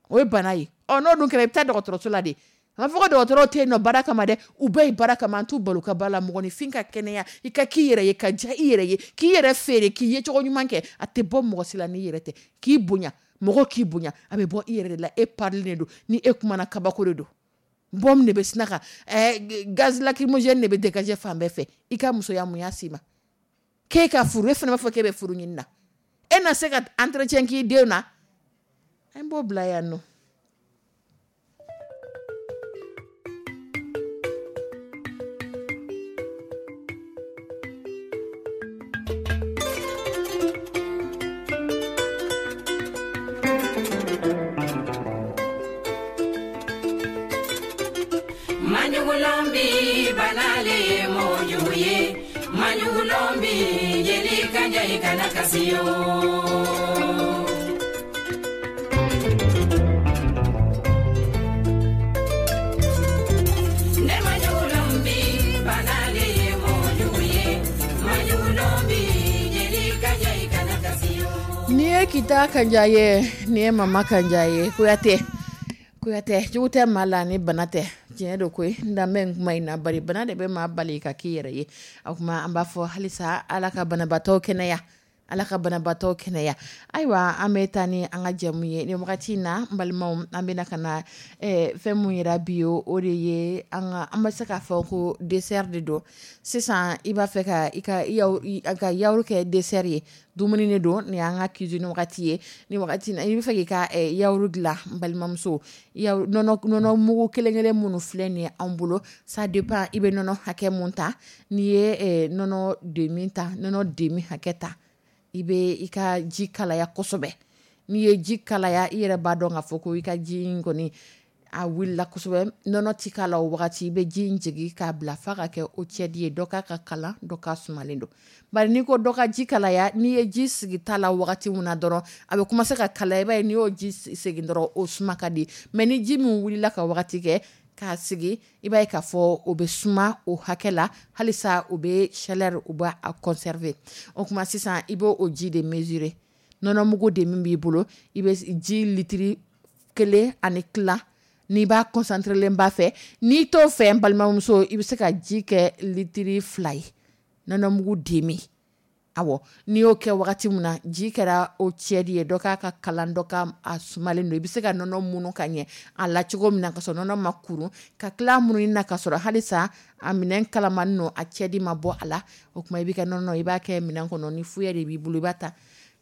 o ye bana ye. Ɔ n'o dun kɛra, i bɛ taa dɔgɔtɔrɔso la de. A fɔ ko dɔgɔtɔrɔw tɛ yen nɔ baara kama dɛ, u bɛɛ ye baara kama, an t'u balo ka ba la. Mɔgɔninfin ka kɛnɛya, i ka k'i yɛrɛ ye, ka diya i yɛrɛ ye, k'i yɛrɛ feere, k'i ye cogo ɲuman kɛ, a tɛ bɔ mɔgɔ si la n'i yɛrɛ tɛ. K'i bonya, mɔgɔ k'i bonya, a bɛ bɔ i yɛrɛ de la. E parilen de don, ni e kumana kabako de don. Bɔm de bɛ sina ka gaz lacrymogène de bɛ dégager fan bɛɛ fɛ. I ka musoya mun y'a s'i ma? K'e ka furu, e fana b'a fɔ k'e bɛ furu ɲini na, e na se ka entretien k'i denw na? An b'o bila yan nɔ. Maɲugulɔnbi banale ye mɔgɔ ye, maɲugulɔnbi jeli ka ɲɛ i kana kasi yo. Ne maɲugulɔnbi banale ye mɔgɔ ye, maɲugulɔnbi jeli ka ɲɛ i kana kasi yo. Kita Kanjaye, nin ye Mama Kanjaye. Kuyate, Kuyate, jugu tɛ maa la ni bana tɛ. Tiɲɛ don koyi, n danbɛ n kuma in na, bari bana de bɛ maa bali ka k'i yɛrɛ ye. O tuma an b'a fɔ halisa, Ala ka banabaatɔ kɛnɛya, Ala ka banabaatɔ kɛnɛya. Ayiwa, an bɛ taa ni an ka jɛmu ye nin wagati in na. N balimaw, an bɛna ka na fɛn mun yira bi, o de ye an ka, an bɛ se k'a fɔ ko dessert de don. Sisan i b'a fɛ ka i ka ka yaourt kɛ dessert ye, dumuni de don. Nin y'an ka cuisine wagati ye. Ni wagati na, i bɛ fɛ k'i ka yaourt dilan, n balimamuso, nɔnɔ mugu kelen kelen minnu filɛ nin ye an bolo, ça dépend i bɛ nɔnɔ hakɛ mun ta. N'i ye nɔnɔ demi ta, nɔnɔ demi hakɛ ta, i bɛ i ka ji kalaya kosɛbɛ. N'i ye ji kalaya, i yɛrɛ b'a dɔn k'a fɔ ko i ka ji in kɔni a wulila kosɛbɛ. Nɔnɔ ti k'a la o wagati, i bɛ ji in jigin k'a bila f'a ka kɛ eau tiède ye. Dɔ k'a ka kalan, dɔ k'a sumalen don. Bari n'i ko dɔ ka ji kalaya, n'i ye ji sigi ta la wagati min na dɔrɔn, a bɛ commencer ka kalaya. I b'a ye n'i y'o ji segin dɔrɔn, o suma ka di. Mais ni ji min wulila ka wagati kɛ k'a sigi, i b'a ye k'a fɔ o bɛ suma o hakɛ la. Halisa o bɛ chaleur, o b'a conserver. O tuma sisan i b'o o ji de mesurer. Nɔnɔmugu de min b'i bolo, i bɛ ji litiri 1 1/4. N'i b'a concentré len b'a fɛ, n'i t'o fɛ, n balimamuso, i bɛ se ka ji kɛ litiri 2 ye, nɔnɔmugu demi. Awɔ, n'i y'o kɛ wagati min na, ji kɛra eau tiède ye, dɔ k'a ka kalan, dɔ ka a sumalen don. I bɛ se ka nɔnɔ munu ka ɲɛ a la cogo min na, ka sɔrɔ nɔnɔ ma kuru, ka tila mununi na, ka sɔrɔ halisa a minɛn kalamani don, a tiède ma bɔ a la. O tuma i b'i ka nɔnɔ, i b'a kɛ minɛn kɔnɔ. Ni fouet de b'i bolo, i b'a ta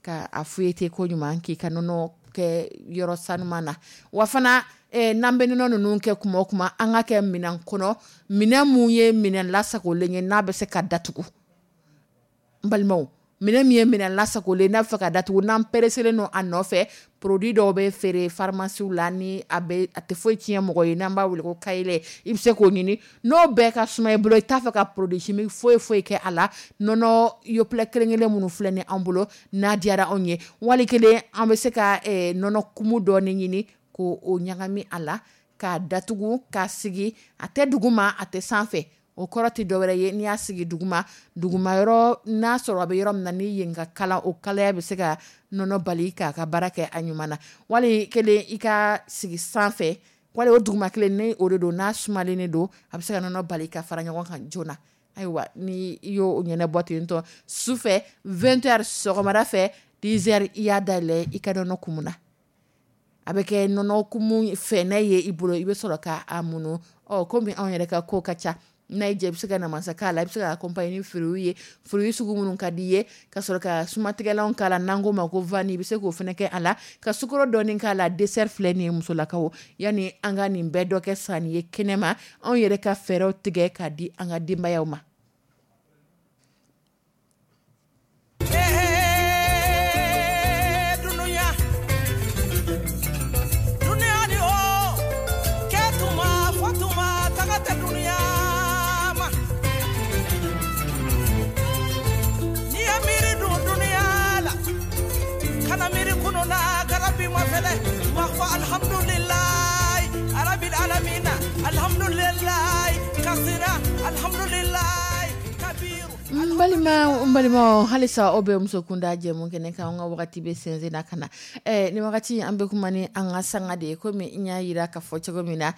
ka a fouetter ko ɲuman, k'i ka nɔnɔ kɛ yɔrɔ sanuman na. Wa fana, n'an bɛ nɔnɔ ninnu kɛ kuma o kuma, an ka kɛ minɛn kɔnɔ, minɛn mun ye minɛn lasagolen ye, n'a bɛ se ka datugu. N balimaw, minɛn min ye minɛn lasagolen, n'a bɛ fɛ ka datugu, n'an pereselen don a nɔfɛ. Produit dɔw bɛ feere pharmacie la, ni a bɛ a tɛ foyi tiɲɛ mɔgɔ ye, n'an b'a wele ko kayilɛ, i bɛ se k'o ɲini. N'o bɛɛ ka suma i bolo, i t'a fɛ ka produit chimique foyi foyi kɛ a la, nɔnɔ Yoplait kelen kelen minnu filɛ ni an bolo, n'a diyara anw ye, wali kelen an bɛ se ka nɔnɔ kumu dɔɔni ɲini k'o o ɲagami a la, k'a datugu, k'a sigi. A tɛ duguma, a tɛ sanfɛ. O kɔrɔ tɛ dɔwɛrɛ ye, n'i y'a sigi duguma, duguma yɔrɔ n'a sɔrɔ a bɛ yɔrɔ min na, ni yen ka kalan, o kalaya bɛ se ka nɔnɔ bali k'a ka baara kɛ a ɲuman na. Wali kelen i ka sigi sanfɛ, wali o duguma kelen ni o de don, n'a sumalen de don, a bɛ se ka nɔnɔ bali ka fara ɲɔgɔn kan joona. Ayiwa, ni i y'o ɲɛnabɔ ten tɔ, sufɛ 20 heures, sɔgɔmada fɛ 10 heures, i y'a dayɛlɛ, i ka nɔnɔ kumu na, a bɛ kɛ nɔnɔ kumu fɛnɛ ye i bolo, i bɛ sɔrɔ k'a munu. Ɔ, komi anw yɛrɛ ka ko ka ca, n'a y'i diya, i bɛ se ka namasa k'a la, i bɛ se ka accompagner ni fruits ye, fruits sugu minnu ka di i ye, ka sɔrɔ ka sumatigɛlanw k'a la, n'an k'o ma ko vanille, i bɛ se k'o fana kɛ a la, ka sukaro dɔɔni k'a la. Dessert filɛ nin ye, musolakaw. Yanni an ka nin bɛɛ dɔ kɛ sanni ye kɛnɛma, anw yɛrɛ ka fɛɛrɛw tigɛ k'a di an ka denbayaw ma. Dunuya dunuya ni o kɛtuma fɔtuma taga tɛ dunuya ma. N'i ye miiri dun dunuya la, kana miiri kunu la, kana bi ma fɛnɛ ma fɔ alhamdulilayi arabil alamina, alhamdulilayi kasira, alhamdulilayi kabiru. N balima, n balimaw, halisa aw bɛ muso kunda jɛmu kɛnɛ kan. An ka wagati bɛ sɛnsɛn na ka na nin wagati, an bɛ kuma ni an ka sanga de ye. Komi n y'a yira ka fɔ cogo min na,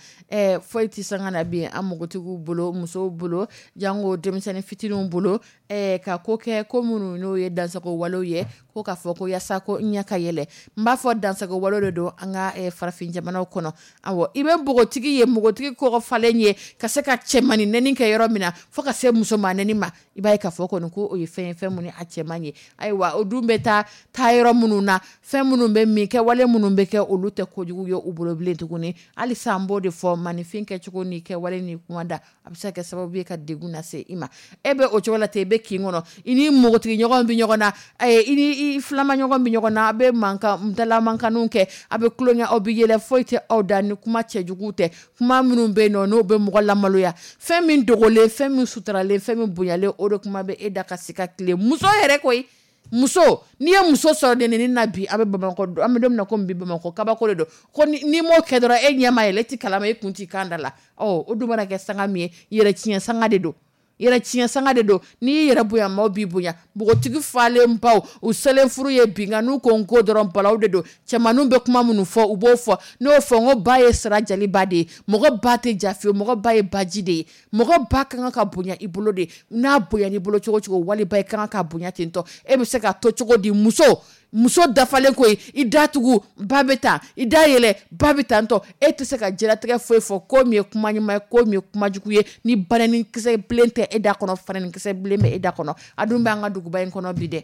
foyi tɛ sanga na bi an npogotigiw bolo, musow bolo, jango denmisɛnnin fitininw bolo, ka ko kɛ ko minnu n'o ye dansago walew ye, ko k'a fɔ ko yaasa ko n ɲɛ ka yɛlɛ. N b'a fɔ dansago walew de don an ka farafin jamanaw kɔnɔ. Awɔ, i bɛ npogotigi ye, npogotigi kɔgɔ falen ye ka se ka cɛmannin nɛni kɛ yɔrɔ min na, fo ka se musoman nɛni ma, i b'a ye k'a fɔ kɔni ko o ye fɛn ye, fɛn mun ni a cɛ man ye. Ayiwa, o dun bɛ taa taa yɔrɔ minnu na, fɛn minnu bɛ min kɛ, wale minnu bɛ kɛ, olu tɛ kojugu ye u bolo bilen tuguni. Halisa an b'o de fɔ, maninfin kɛcogo ni kɛwale ni kuma da, a bɛ se ka kɛ sababu ye ka degun lase i ma. E bɛ o cogo la ten, i bɛ kin kɔnɔ, i ni npogotigi ɲɔgɔn bɛ ɲɔgɔn na, i ni i filama ɲɔgɔn bɛ ɲɔgɔn na, a bɛ mankan dalamankanniw kɛ, a bɛ tulonkɛ, aw bɛ yɛlɛ, foyi tɛ aw da ni kuma cɛjugu tɛ, kuma minnu bɛ yen nɔ n'o bɛ mɔgɔ lamaloya, fɛn min dogolen, fɛn min suturalen, fɛn min bonyalen, o de kuma bɛ e da ka se ka tile. Muso yɛrɛ koyi, muso, n'i ye muso sɔrɔ nenini na bi, a bɛ Bamakɔ, an bɛ don min na komi bi, Bamakɔ kabako de don. Ko n'i m'o kɛ dɔrɔn, e ɲɛ ma yɛlɛ, e ti kalama, e kun t'i kan da la. Ɔ, o dun mana kɛ sanga min ye, yɛrɛ tiɲɛ sanga de don. Yɛrɛ tiɲɛ sanga de don. N'i y'i yɛrɛ bonya, maaw b'i bonya. Npogotigi falen baw u selen furu ye bi, nka n'u ko n ko dɔrɔn balaw de don. Cɛmaninw bɛ kuma minnu fɔ, u b'o fɔ. N'o fɔ n ko ba ye sira jaliba de ye, mɔgɔ ba tɛ ja fiyewu, mɔgɔ ba ye baji de ye. Mɔgɔ ba ka kan ka bonya i bolo de, n'a bonya n'i bolo cogo cogo, waliba i ka kan ka bonya ten tɔ. E bɛ se ka to cogo di muso dafalen ko ye, i da tugu ba bɛ taa, i da yɛlɛ ba bɛ taa tɔ. E tɛ se ka diɲɛlatigɛ foyi fɔ ko min ye kuma ɲuman ye, ko min ye kuma jugu ye, ni banɛnikisɛ bilen tɛ e da kɔnɔ, fanɛnikisɛ bilen bɛ e da kɔnɔ. A dun b'an ka duguba in kɔnɔ bi dɛ,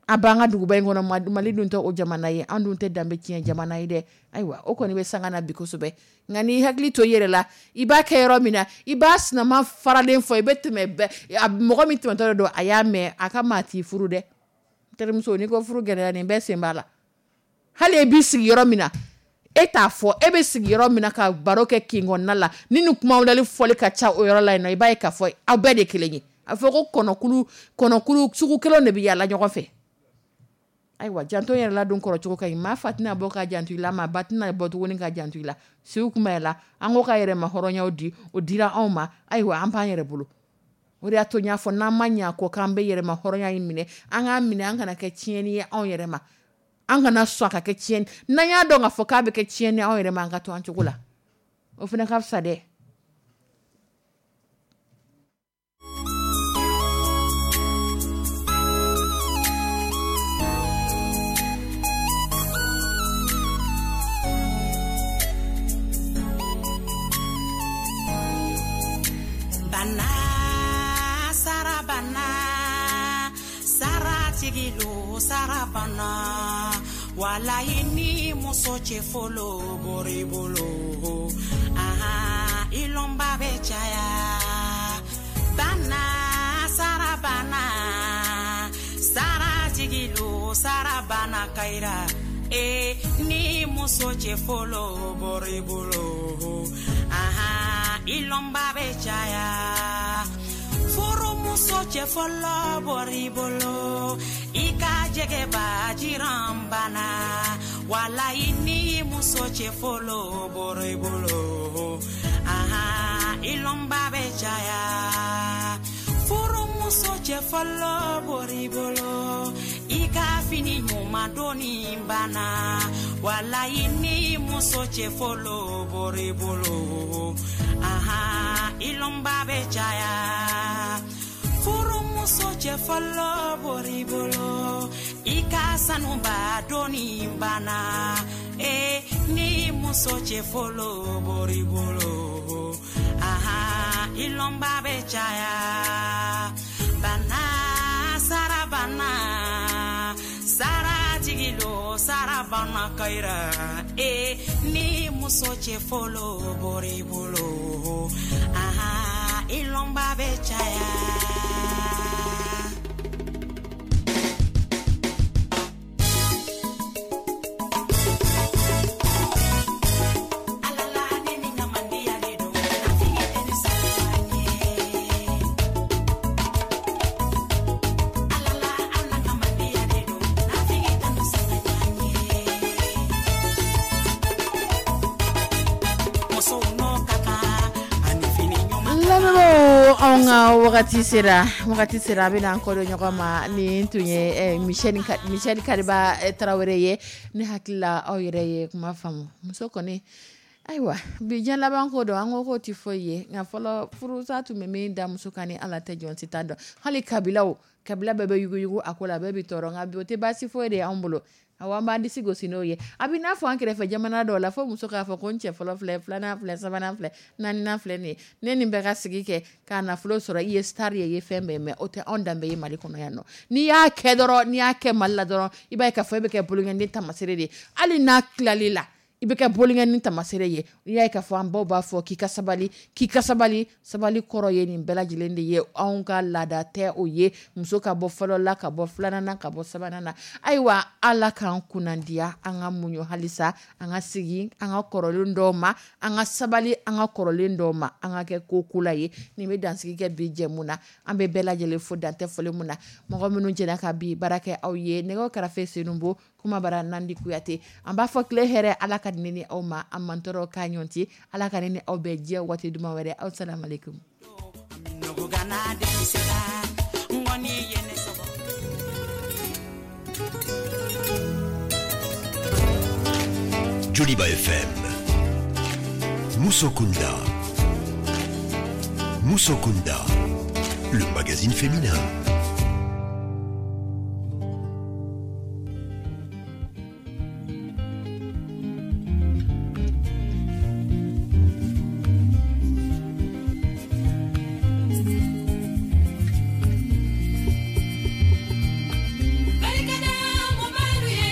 a b'an ka duguba in kɔnɔ. Mali dun tɛ o jamana ye, an dun tɛ danbe tiɲɛ jamana ye dɛ. Ayiwa, o kɔni bɛ sanga na bi kosɛbɛ. Nka n'i hakili to i yɛrɛ la, i b'a kɛ yɔrɔ min na, i b'a sinama faralen fɔ, i bɛ tɛmɛ bɛɛ, mɔgɔ min tɛmɛtɔ don a y'a mɛn, a ka maa t'i furu dɛ. Terimuso, n'i ko furu gɛlɛya, nin bɛɛ sen b'a la. Hali e b'i sigi yɔrɔ min na, e t'a fɔ, e bɛ sigi yɔrɔ min na ka baro kɛ kin kɔnɔna la, ni nin kumawulali fɔli ka ca o yɔrɔ la yen nɔ, i b'a ye k'a fɔ aw bɛɛ de kelen ye. A fɔ ko kɔnɔkulu sugu kelen de bɛ yaala ɲɔgɔn fɛ. Ayiwa, janto yɛrɛ la don kɔrɔ cogo ka ɲi. Maa fa tɛna bɔ ka janto i la, maa ba tɛna bɔ tuguni ka janto i la. Siw kuma la, an ko ka yɛrɛma hɔrɔnyaw di, o dira anw ma. Ayiwa, an b'an yɛrɛ bolo. O de y'a to n y'a fɔ, n'an ma ɲɛ ko k'an bɛ yɛrɛma hɔrɔnya in minɛ, an k'a minɛ, an kana kɛ tiɲɛni ye anw yɛrɛ ma. An kana sɔn a ka kɛ tiɲɛni. N'an y'a dɔn k'a fɔ k'a bɛ kɛ tiɲɛni anw yɛrɛ ma, an ka to an cogo la. O fana ka fisa dɛ. Bana sarabana saratigi lo sarabana walayi ni muso cɛ fɔlɔ bɔr'i bolo, aha, i lɔnba bɛ caya. Bana sarabana saratigi lo sarabana kayira, e ni muso cɛ fɔlɔ bɔr'i bolo, aha, i lɔnba bɛ caya. Furumuso cɛ fɔlɔ bɔr'i bolo, i ka jɛgɛba jiran bana, walayi ni muso cɛ fɔlɔ bɔr'i bolo, aha, i lɔnba bɛ caya. Furumuso cɛ fɔlɔ bɔr'i bolo, i ka fini ɲuman donni bana, walayi ni muso cɛ fɔlɔ bɔr'i bolo, aha, i lɔnba bɛ caya. Furumuso cɛ fɔlɔ bɔr'i bolo, i ka sanuba donni bana, e ni muso cɛ fɔlɔ bɔr'i bolo, aha, i lɔnba bɛ caya. Bana sarabana saratigi lo sarabana kayira, e ni muso cɛ fɔlɔ bɔr'i bolo, aha, i lɔnba bɛ caya. Anw ka wagati sera, a bɛna an kɔdon ɲɔgɔn ma. Nin tun ye Michel Kariba Tarawele ye. Ne hakili la aw yɛrɛ ye kuma faamu. Muso kɔni, ayiwa, bi diɲɛ laban ko don, an ko k'o tɛ foyi ye. Nka fɔlɔ furusa tun bɛ min da muso kan ni Ala tɛ, jɔn si t'a dɔn. Hali kabilaw, kabila bɛɛ bɛ yuguyugu a ko la, bɛɛ bɛ tɔɔrɔ. Nka bi o tɛ baasi foyi de y'anw bolo. Awɔ, an b'an disi gosi n'o ye. A bɛ n'a fɔ an kɛrɛfɛ jamana dɔw la, fo muso k'a fɔ ko n cɛ fɔlɔ filɛ, filanan filɛ, sabanan filɛ, naaninan filɛ nin ye. Ne nin bɛɛ ka sigi kɛ k'a nafolo sɔrɔ, i ye star ye, i ye fɛn bɛɛ mɛn. O tɛ anw danbe ye Mali kɔnɔ yan nɔ. N'i y'a kɛ dɔrɔn, n'i y'a kɛ Mali la dɔrɔn, i b'a ye k'a fɔ e bɛ kɛ bolonkɛnden taamasere de ye. Hali n'a tilal'i la, i bɛ kɛ bolonkɛnin taamasere ye. I y'a ye k'a fɔ an baw b'a fɔ k'i ka sabali, k'i ka sabali. Sabali kɔrɔ ye nin bɛɛ lajɛlen de ye. Anw ka laada tɛ o ye. Muso ka bɔ fɔlɔ la, ka bɔ filanan na, ka bɔ sabanan na. Ayiwa, Ala k'an kunnandiya, an ka muɲu halisa, an ka segin an ka kɔrɔlen dɔw ma, an ka sabali an ka kɔrɔlen dɔw ma, an ka kɛ ko ko la ye. Nin bɛ dansigi kɛ bi jɛmu na. An bɛ bɛɛ lajɛlen fo dantɛ foli mun na. Mɔgɔ minnu jɛra ka bi baara kɛ aw ye, nɛgɛw karafe Senubo, kuma bara Nandi Kuyate. An b'a fɔ tile hɛrɛ, Ala ka di ne ni aw ma, an mantɔrɔ k'a ɲɔgɔn ci. Ala ka ne ni aw bɛɛ diɲɛ waati duman wɛrɛ. Aw salam alaikum. Danna denmisɛnna ŋɔni ye ne sɔgɔ. Joliba FM. Moussokunda. Moussokunda, le magazine féminin. Barikada mubalu ye,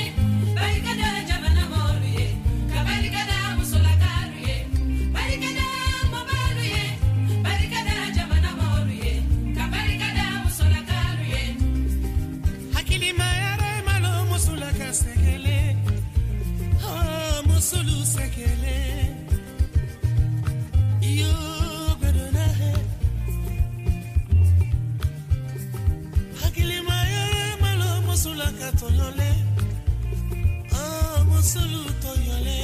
barikada jamana mɔlu ye, ka barikada musolakalu ye. Barikada mubalu ye, barikada jamana mɔlu ye, ka barikada musolakalu ye. Hakilima yɛrɛ malo musula ka sɛgɛlɛ, oh, musulu sɛgɛlɛ iyo gbɛdɔnna hɛ. Hakilima yɛrɛ malo musula ka tɔɲɔlɛ, oh, musulu tɔɲɔlɛ,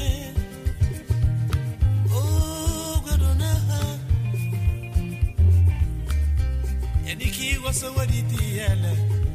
oh, gbɛdɔnna hɛ. Yanni k'i waso wari ti yɛlɛ.